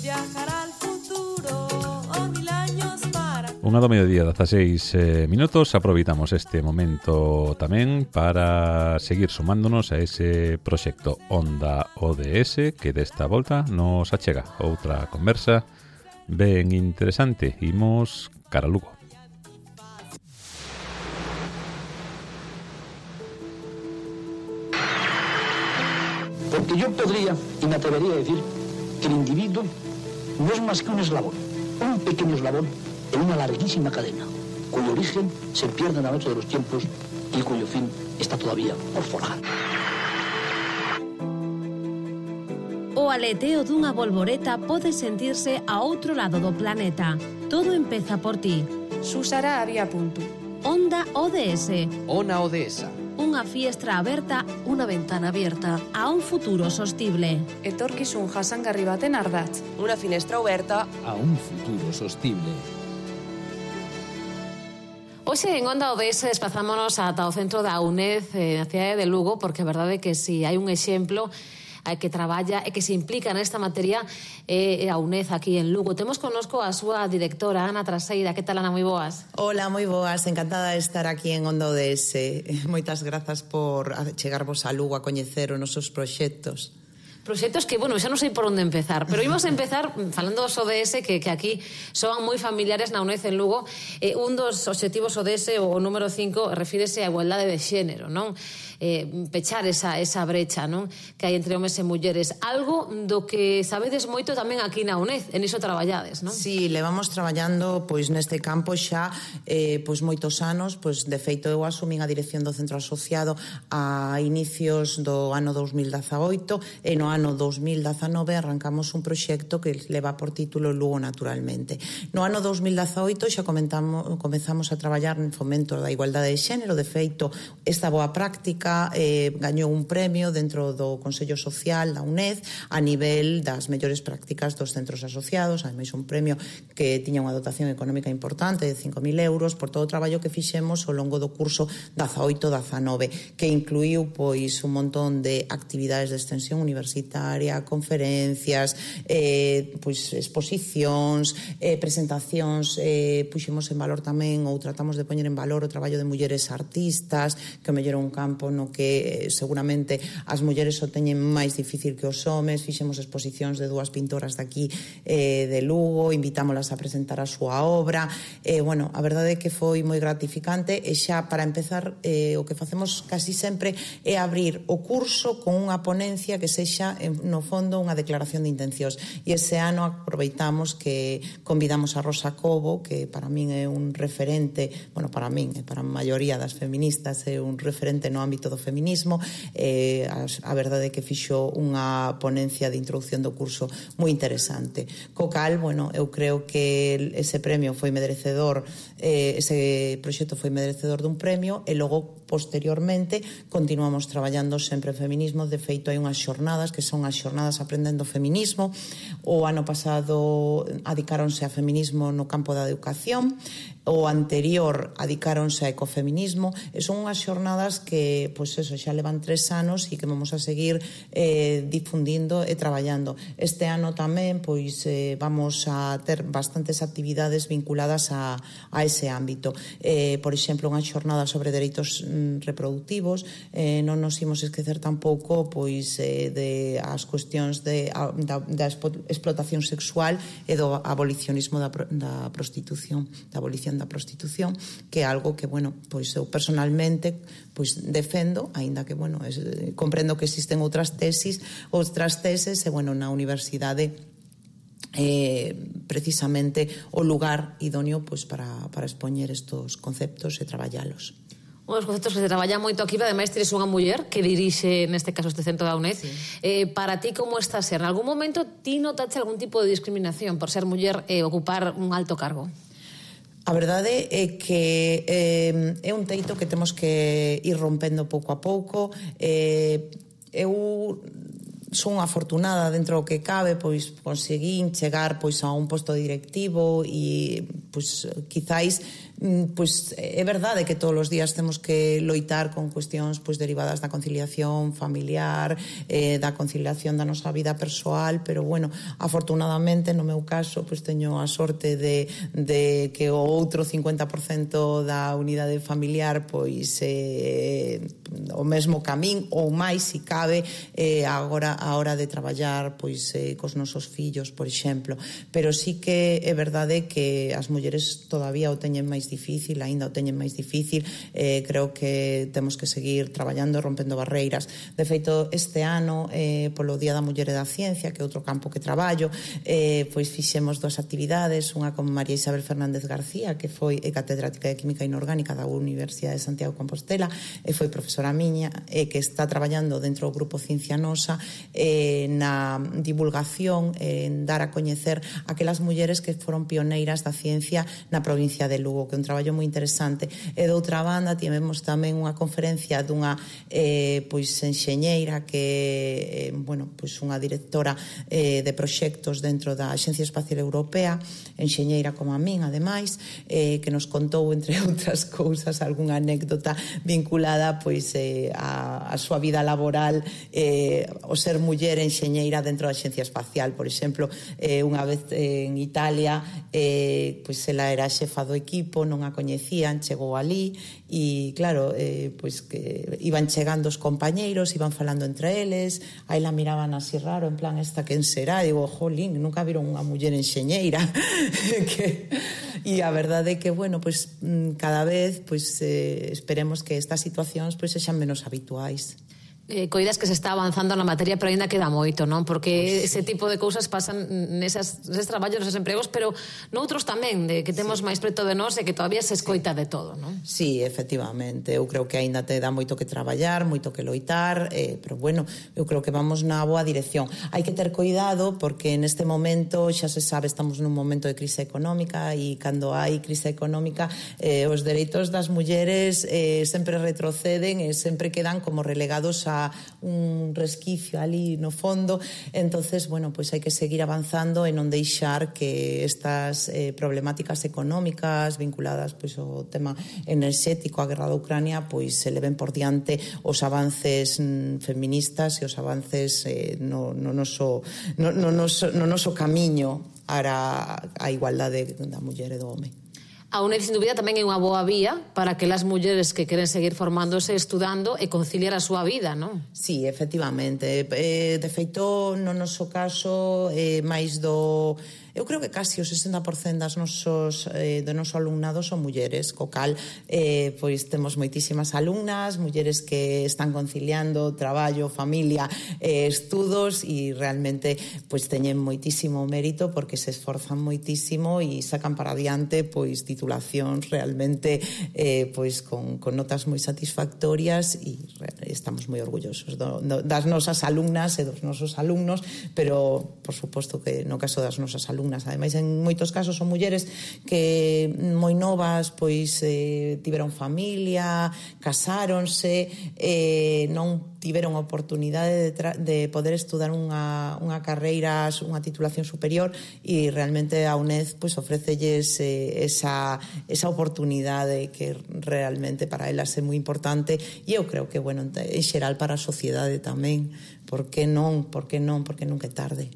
viajar al futuro o mil años para... Unha do mediodía, dezaseis eh, minutos. Aproveitamos este momento tamén para seguir sumándonos a ese proxecto Onda O D S que desta volta nos achega outra conversa ben interesante. Imos cara a Lugo. Porque yo podría, y me atrevería a decir, que el individuo no es más que un eslabón, un pequeño eslabón en una larguísima cadena, cuyo origen se pierde en la noche de los tiempos y cuyo fin está todavía por forjar. O aleteo dunha bolboreta pode sentirse a outro lado do planeta. Todo empeza por ti. Susara había punto. Onda O D S. Ona O D S. Unha fiestra aberta, unha ventana abierta a un futuro sostible. Etorkizun jasangarri baten ardatz. Unha finestra aberta a un futuro sostible. Hoxe en Onda O D S desplazámonos ata o centro da UNED eh, na cidade de Lugo, porque é verdade que si hai un exemplo que traballa e que se implica nesta materia é a UNED aquí en Lugo. Temos connosco a súa directora, Ana Traseira. Que tal, Ana? Moi boas. Hola, moi boas. Encantada de estar aquí en Onda O D S. Moitas grazas por chegarvos a Lugo a coñecer os nosos proxectos. Proxectos que, bueno, xa non sei por onde empezar, pero imos empezar falando dos O D S que, que aquí son moi familiares na UNED en Lugo. Eh, un dos obxectivos O D S, o número cinco, refírese á igualdade de xénero, non? Eh, pechar esa, esa brecha, non? Que hai entre homes e mulleres. Algo do que sabedes moito tamén aquí na UNED, en iso traballades, non? Sí, levamos traballando pois neste campo xa eh, pois moitos anos, pois de feito eu asumín a dirección do centro asociado a inicios do ano dous mil dezaoito e no ano dous mil dezanove arrancamos un proxecto que leva por título Lugo Naturalmente. No ano dous mil dezaoito xa comentamos, comezamos a traballar en fomento da igualdade de xénero. De feito, esta boa práctica eh, gañou un premio dentro do Consello Social da UNED a nivel das mellores prácticas dos centros asociados, ademais un premio que tiña unha dotación económica importante de cinco mil euros por todo o traballo que fixemos ao longo do curso dezaoito dezanove, que incluíu pois un montón de actividades de extensión universitaria, conferencias, eh, pois exposicións, eh, presentacións, eh, puxemos en valor tamén ou tratamos de poñer en valor o traballo de mulleres artistas, que o mellor un campo no no que seguramente as mulleres o teñen máis difícil que os homes. Fixemos exposicións de dúas pintoras daqui eh, de Lugo, invitámolas a presentar a súa obra. Eh, bueno, a verdade é que foi moi gratificante e xa para empezar eh, o que facemos casi sempre é abrir o curso con unha ponencia que sexa no fondo unha declaración de intencións. E ese ano aproveitamos que convidamos a Rosa Cobo, que para min é un referente, bueno, para min e para a maioría das feministas é un referente no ámbito do feminismo. Eh, a, a verdade é que fixo unha ponencia de introducción do curso moi interesante. Co cal, bueno, eu creo que ese premio foi merecedor, eh, ese proxecto foi merecedor dun premio e logo posteriormente continuamos traballando sempre en feminismo. De feito, hai unhas xornadas que son as xornadas Aprendendo Feminismo. O ano pasado adicáronse a feminismo no campo da educación, o anterior adicáronse a ecofeminismo, e son unhas xornadas que, pois eso, xa levan tres anos e que vamos a seguir eh, difundindo e traballando. Este ano tamén, pois, eh, vamos a ter bastantes actividades vinculadas a, a ese ámbito. Eh, por exemplo, unha xornada sobre dereitos mm, reproductivos, eh, non nos imos esquecer tampouco, pois, eh, de as cuestións de, a, da, da explotación sexual e do abolicionismo da, da prostitución, da abolición da prostitución, que é algo que, bueno, pois eu personalmente pois defendo, aínda que, bueno, es, comprendo que existen outras tesis, outras teses, e, bueno, na universidade eh, precisamente o lugar idóneo pois para, para expoñer estos conceptos e traballalos. Un dos conceptos que se traballa moito aquí, pero ademais tires unha muller que dirixe, neste caso, este centro da UNED. Sí. Eh, para ti, como está a ser? En algún momento ti notaste algún tipo de discriminación por ser muller e ocupar un alto cargo? A verdade é que eh, é un teito que temos que ir rompendo pouco a pouco. Eh, eu son afortunada dentro do que cabe, pois conseguín chegar pois a un posto directivo e pois quizáis pois é verdade que todos os días temos que loitar con cuestións pois derivadas da conciliación familiar, eh, da conciliación da nosa vida persoal, pero bueno, afortunadamente no meu caso pois teño a sorte de, de que o outro cincuenta por cento da unidade familiar pois eh, o mesmo camín ou máis se cabe eh, agora a hora de traballar pois eh, cos nosos fillos, por exemplo, pero sí que é verdade que as mulleres todavía o teñen máis difícil, aínda o teñen máis difícil. Eh, creo que temos que seguir traballando, rompendo barreiras. De feito, este ano, eh, polo Día da Muller e da Ciencia, que é outro campo que traballo, eh, pois fixemos dúas actividades, unha con María Isabel Fernández García, que foi catedrática de Química Inorgánica da Universidade de Santiago de Compostela, e foi profesora miña, e que está traballando dentro do grupo Ciencia Nosa eh, na divulgación, en dar a coñecer aquelas mulleres que foron pioneiras da ciencia na provincia de Lugo, que é un traballo moi interesante. E de outra banda tivemos tamén unha conferencia dunha eh, pois enxeñeira que, eh, bueno, pois unha directora eh, de proxectos dentro da Axencia Espacial Europea, enxeñeira como a min, ademais, eh, que nos contou, entre outras cousas, algunha anécdota vinculada pois eh, a, a súa vida laboral, eh, o ser muller enxeñeira dentro da Axencia Espacial. Por exemplo, eh, unha vez eh, en Italia, eh, pois ela era xefa do equipo, non a coñecían, chegou ali e claro, eh, pois que iban chegando os compañeiros, iban falando entre eles, aí la miraban así raro, en plan, esta quen será? Digo, jolín, nunca viron unha muller enxeñeira. que... E a verdade é que, bueno, pois cada vez pois eh, esperemos que estas situacións pois sexan menos habituais. Eh, coidas que se está avanzando na materia, pero ainda queda moito, non? Porque pues, ese tipo de cousas pasan nesas, neses traballos, neses empregos, pero noutros tamén, de que temos sí. máis preto de nós e que todavía se escoita sí. de todo, non? Sí, efectivamente, eu creo que aínda te dá moito que traballar, moito que loitar, eh, pero bueno, eu creo que vamos na boa dirección. Hai que ter cuidado porque neste momento, xa se sabe, estamos nun momento de crise económica e cando hai crise económica eh, os dereitos das mulleres eh, sempre retroceden e sempre quedan como relegados a un resquicio ali no fondo. Entonces, bueno, pois pues hai que seguir avanzando e non deixar que estas eh, problemáticas económicas vinculadas pois pues, ao tema enerxético, a guerra da Ucrania, pois pues, se leven por diante os avances mm, feministas e os avances eh, no, no, noso, no, no, noso, no noso camiño ara a igualdade da muller e do home. A UNED, sin dúbida, tamén é unha boa vía para que as mulleres que queren seguir formándose, estudando e conciliar a súa vida, non? Sí, efectivamente. Eh, de feito, no noso caso, eh, máis do... Eu creo que casi o sesenta por cento das nosos, eh, do noso alumnado son mulleres, co cal eh, pois temos moitísimas alumnas, mulleres que están conciliando traballo, familia, eh, estudos e realmente pois teñen moitísimo mérito porque se esforzan moitísimo e sacan para adiante pois titulacións realmente eh, pois con, con notas moi satisfactorias e estamos moi orgullosos do, do, das nosas alumnas e dos nosos alumnos, pero por suposto que no caso das nosas alumnas ademais en moitos casos son mulleres que moi novas pois eh, tiveron familia, casáronse, eh, non tiveron oportunidade de, tra- de poder estudar unha, unha carreira, unha titulación superior e realmente a UNED pois ofrécelles eh, esa, esa oportunidade que realmente para elas é moi importante e eu creo que, bueno, en xeral para a sociedade tamén, por que non, por que non, porque nunca é tarde.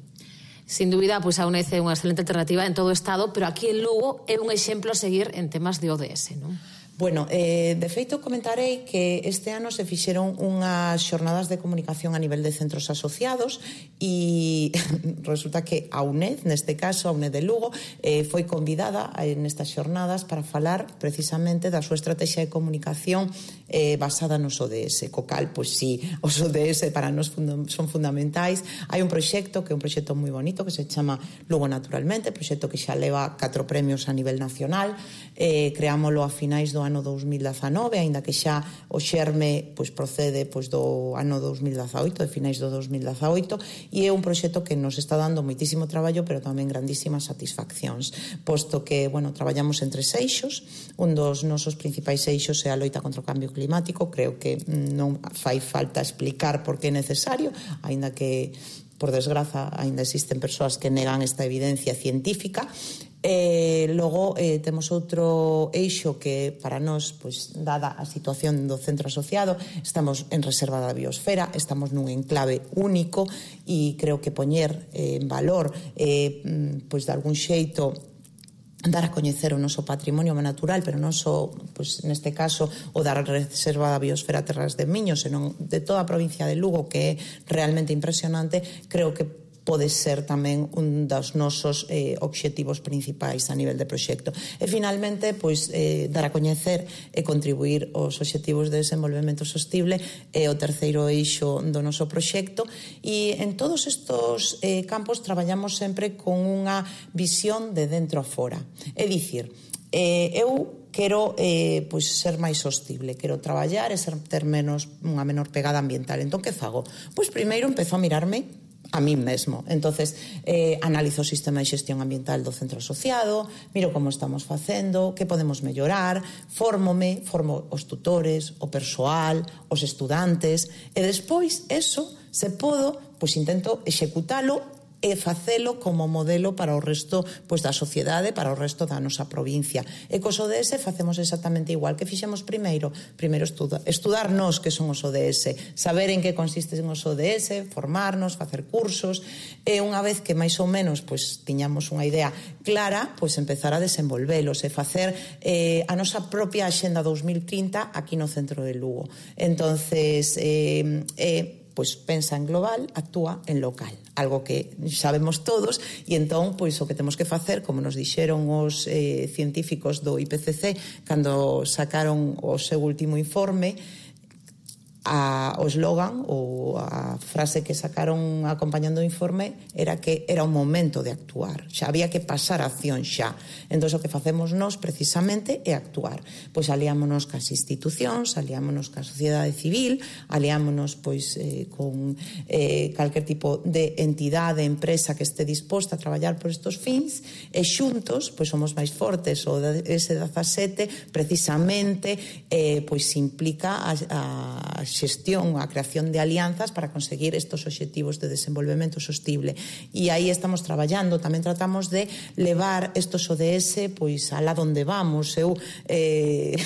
Sin dúbida, pois a UNED é unha excelente alternativa en todo o Estado, pero aquí en Lugo é un exemplo a seguir en temas de O D S, non? Bueno, eh, de feito comentarei que este ano se fixeron unhas xornadas de comunicación a nivel de centros asociados e resulta que a UNED, neste caso a UNED de Lugo, eh, foi convidada nestas xornadas para falar precisamente da súa estrategia de comunicación eh, basada nos O D S, co cal, pois sí, os O D S para nós fund- son fundamentais. Hai un proxecto que é un proxecto moi bonito que se chama Lugo Naturalmente, proxecto que xa leva catro premios a nivel nacional, eh, creámolo a finais do ano dos mil dezanove, aínda que xa o xerme pois procede pois do ano dos mil dezaoito, de finais do dos mil dezaoito, e é un proxecto que nos está dando moitísimo traballo, pero tamén grandísimas satisfaccións, posto que, bueno, traballamos en tres eixos. Un dos nosos principais eixos é a loita contra o cambio climático. Creo que non fai falta explicar por que é necesario, aínda que por desgraza, aínda existen persoas que negan esta evidencia científica. Eh, logo eh, temos outro eixo que para nós, pois, dada a situación do centro asociado, estamos en reserva da biosfera, estamos nun enclave único e creo que poñer eh, en valor eh, pois de algún xeito dar a coñecer o noso patrimonio natural, pero non só, pois, neste caso, o da reserva da biosfera Terras de Miño, senón de toda a provincia de Lugo, que é realmente impresionante. Creo que pode ser tamén un dos nosos eh, obxectivos principais a nivel de proxecto. E finalmente, pois, eh, dar a coñecer e contribuir aos obxectivos de desenvolvemento sostible é o terceiro eixo do noso proxecto, e en todos estos eh, campos traballamos sempre con unha visión de dentro a fora. É dicir, eh, eu quero eh, pois ser máis sostible, quero traballar e ser, ter menos, unha menor pegada ambiental. Entón, que fago? Pois primeiro empezo a mirarme a mí mesmo. Entonces, eh, analizo o sistema de xestión ambiental do centro asociado, miro como estamos facendo, que podemos mellorar, fórmome, formo os tutores, o persoal, os estudantes, e despois, eso, se podo, pois intento executalo e facelo como modelo para o resto, pois, da sociedade, para o resto da nosa provincia. E cos O D S facemos exactamente igual que fixemos primeiro. Primeiro estuda, estudar nós que son os O D S, saber en que consisten os O D S, formarnos, facer cursos, e unha vez que máis ou menos pois tiñamos unha idea clara, pois empezar a desenvolvelos e facer eh, a nosa propia Axenda dos mil trinta aquí no centro de Lugo. Entonces, eh, eh, pois pensa en global, actúa en local, algo que sabemos todos, e entón pois o que temos que facer, como nos dixeron os eh, científicos do I P C C cando sacaron o seu último informe, a, o slogan ou a frase que sacaron acompañando o informe era que era o momento de actuar, xa había que pasar a acción xa. Entón o que facemos nós precisamente é actuar, pois aliámonos cas institucións, aliámonos ca sociedade civil, aliámonos pois eh, con eh, calquer tipo de entidade, empresa que este disposta a traballar por estos fins, e xuntos pois somos máis fortes. O ese dezasete precisamente eh, pois implica a, a xestión, a creación de alianzas para conseguir estos obxectivos de desenvolvemento sostible. E aí estamos traballando, tamén tratamos de levar estos O D S pois alá donde vamos. Eu eh,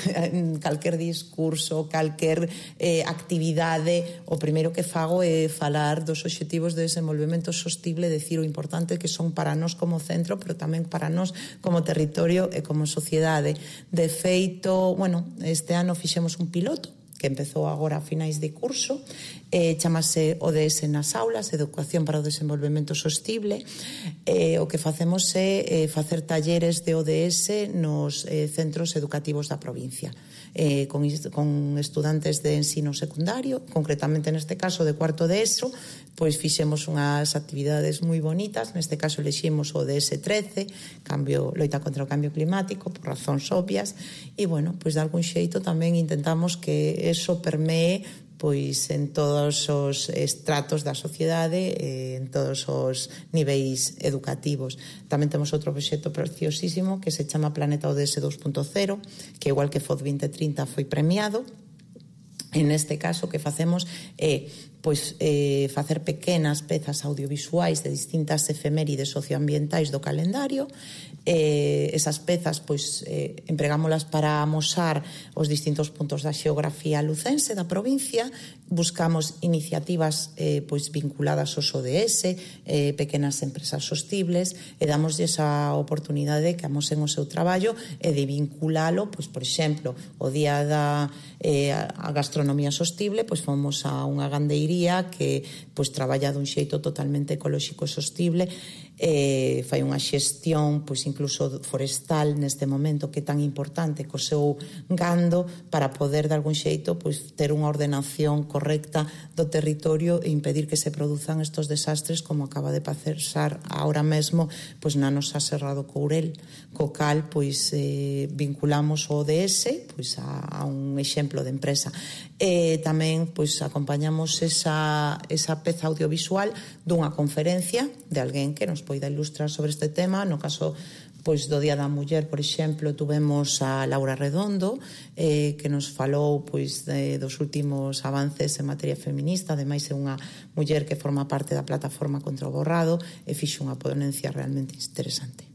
calquer discurso, calquer eh, actividade, o primeiro que fago é falar dos obxectivos de desenvolvemento sostible, decir o importante que son para nós como centro, pero tamén para nós como territorio e como sociedade. De feito, bueno, este ano fixemos un piloto que empezou agora a finais de curso, eh, chamase O D S nas aulas, Educación para o Desenvolvemento Sostible. Eh, o que facemos é eh, facer talleres de O D S nos eh, centros educativos da provincia, eh, con, con estudantes de ensino secundario, concretamente neste caso de cuarto de ESO, pois fixemos unhas actividades moi bonitas. Neste caso eleximos o D S trece, cambio, loita contra o cambio climático, por razóns obvias, e, bueno, pois de algún xeito tamén intentamos que eso permee pois en todos os estratos da sociedade, eh, en todos os niveis educativos. Tamén temos outro proxecto preciosísimo que se chama Planeta O D S dos punto cero, que igual que F O D vinte trinta foi premiado. En este caso, o que facemos é pois eh, facer pequenas pezas audiovisuais de distintas efemérides socioambientais do calendario. Eh, esas pezas pois eh, empregámolas para amosar os distintos puntos da xeografía lucense da provincia. Buscamos iniciativas eh, pois vinculadas aos O D S, eh, pequenas empresas sostibles, e damoslle esa oportunidade que amosen o seu traballo e de vinculalo, pois por exemplo, o día da eh, a gastronomía sostible, pois fomos a unha gandeiría que pois traballa dun xeito totalmente ecolóxico e sostible, eh, fai unha xestión pois incluso forestal neste momento que é tan importante co seu gando para poder de algún xeito pois ter unha ordenación correcta do territorio e impedir que se produzan estos desastres como acaba de pasar ahora mesmo pois na nosa Serra do Courel, co cal pois eh, vinculamos o O D S pois a, a un exemplo de empresa. E tamén pois acompañamos esa, esa peza audiovisual dunha conferencia de alguén que nos poida ilustrar sobre este tema. No caso pois do Día da Muller, por exemplo, tuvemos a Laura Redondo, eh, que nos falou pois de, dos últimos avances en materia feminista. Ademais é unha muller que forma parte da plataforma contra o borrado e fixo unha ponencia realmente interesante.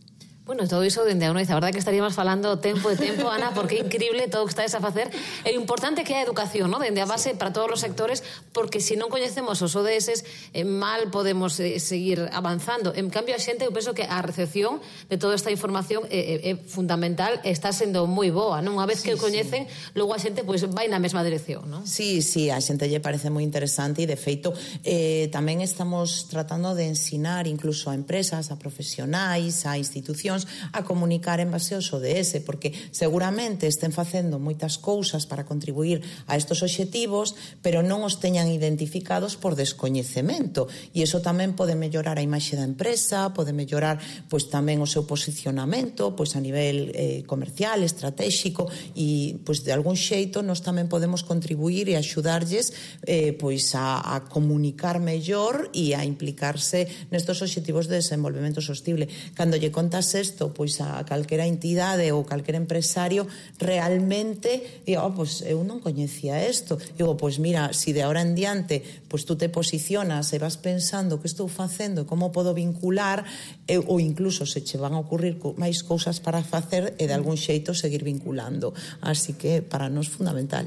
Bueno, todo iso dende a noite, a verdade que estaríamos falando tempo e tempo, Ana, porque é increíble todo o que estáis a facer. É importante que a educación, ¿no?, dende a base para todos os sectores, porque se non coñecemos os O D S, eh, mal podemos eh, seguir avanzando. En cambio, a xente, eu penso que a recepción de toda esta información é, é, é fundamental, está sendo moi boa, non? Unha vez sí, que o coñecen, sí. Logo a xente pois, vai na mesma dirección, non? Sí, sí, a xente lle parece moi interesante e, de feito, eh, tamén estamos tratando de ensinar incluso a empresas, a profesionais, a institucións, a comunicar en base aos O D S, porque seguramente estén facendo moitas cousas para contribuir a estos obxectivos, pero non os teñan identificados por descoñecemento, e iso tamén pode mellorar a imaxe da empresa, pode mellorar pois tamén o seu posicionamento pois a nivel eh, comercial, estratégico, e pois de algún xeito nós tamén podemos contribuir e axudarlles eh, pois a, a comunicar mellor e a implicarse nestos obxectivos de desenvolvemento sostible. Cando lle contas isto pois a calquera entidade ou calquera empresario, realmente digo, oh, pois eu non coñecía isto. Digo, pois mira, si de ahora en diante pois tú te posicionas e vas pensando que estou facendo e como podo vincular, e, ou incluso se che van a ocurrir máis cousas para facer e de algún xeito seguir vinculando. Así que para nós fundamental.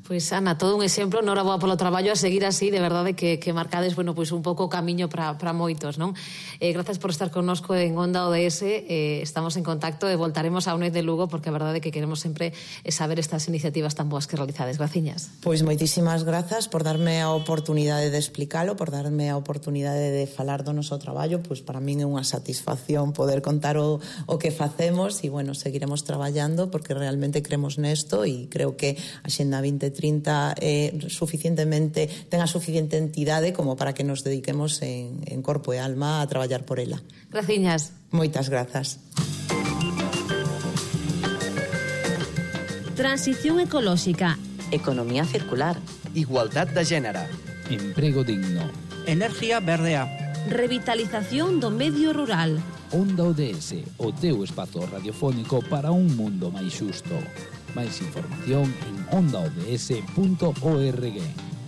Pois, Ana, todo un exemplo, noraboa polo traballo, a seguir así, de verdade que, que marcades, bueno, pois un pouco o camiño para moitos, non? Eh, grazas por estar connosco en Onda O D S, eh, estamos en contacto e voltaremos a Uned de Lugo, porque a verdade que queremos sempre saber estas iniciativas tan boas que realizades. Graciñas. Pois moitísimas grazas por darme a oportunidade de explicalo, por darme a oportunidade de falar do noso traballo. Pois para min é unha satisfacción poder contar o, o que facemos e, bueno, seguiremos traballando porque realmente cremos nesto e creo que a Xenda vinte trinta é suficientemente, ten a suficiente entidade como para que nos dediquemos en, en corpo e alma a traballar por ela. Graciñas. Moitas grazas. Transición ecolóxica. Economía circular. Igualdad de género. Emprego digno. Energía verdea. Revitalización do medio rural. Onda O D S, o teu espazo radiofónico para un mundo máis xusto. Máis información en onda o d s punto org.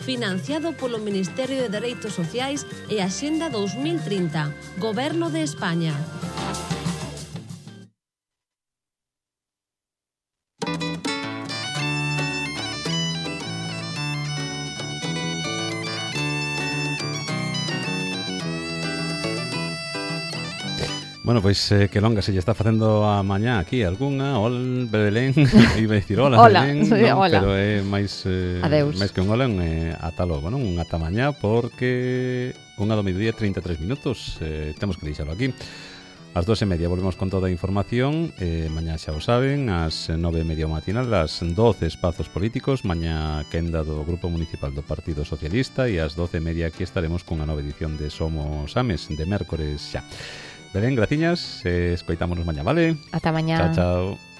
financiado polo Ministerio de Dereitos Sociais e Axenda dos mil trinta, Goberno de España. Bueno, pois pues, eh, que longa se lle está facendo a mañá aquí algunha, ol, Belén, iba a dicir hola, hola Belén, sí, non, hola. pero é máis eh, máis que un hola, un eh, ata logo, non? Un ata mañá porque unha do mediodía trinta e tres minutos, eh, temos que deixalo aquí. Ás dos e media volvemos con toda a información, eh, mañá xa o saben, ás nove e media matinal, ás doce espazos políticos, mañá quenda do Grupo Municipal do Partido Socialista e ás doce e media aquí estaremos con a nova edición de Somos Ames, de mércores xa. Belén, graciñas, eh, escoitámonos mañá, vale? Ata mañá. Chao, chao.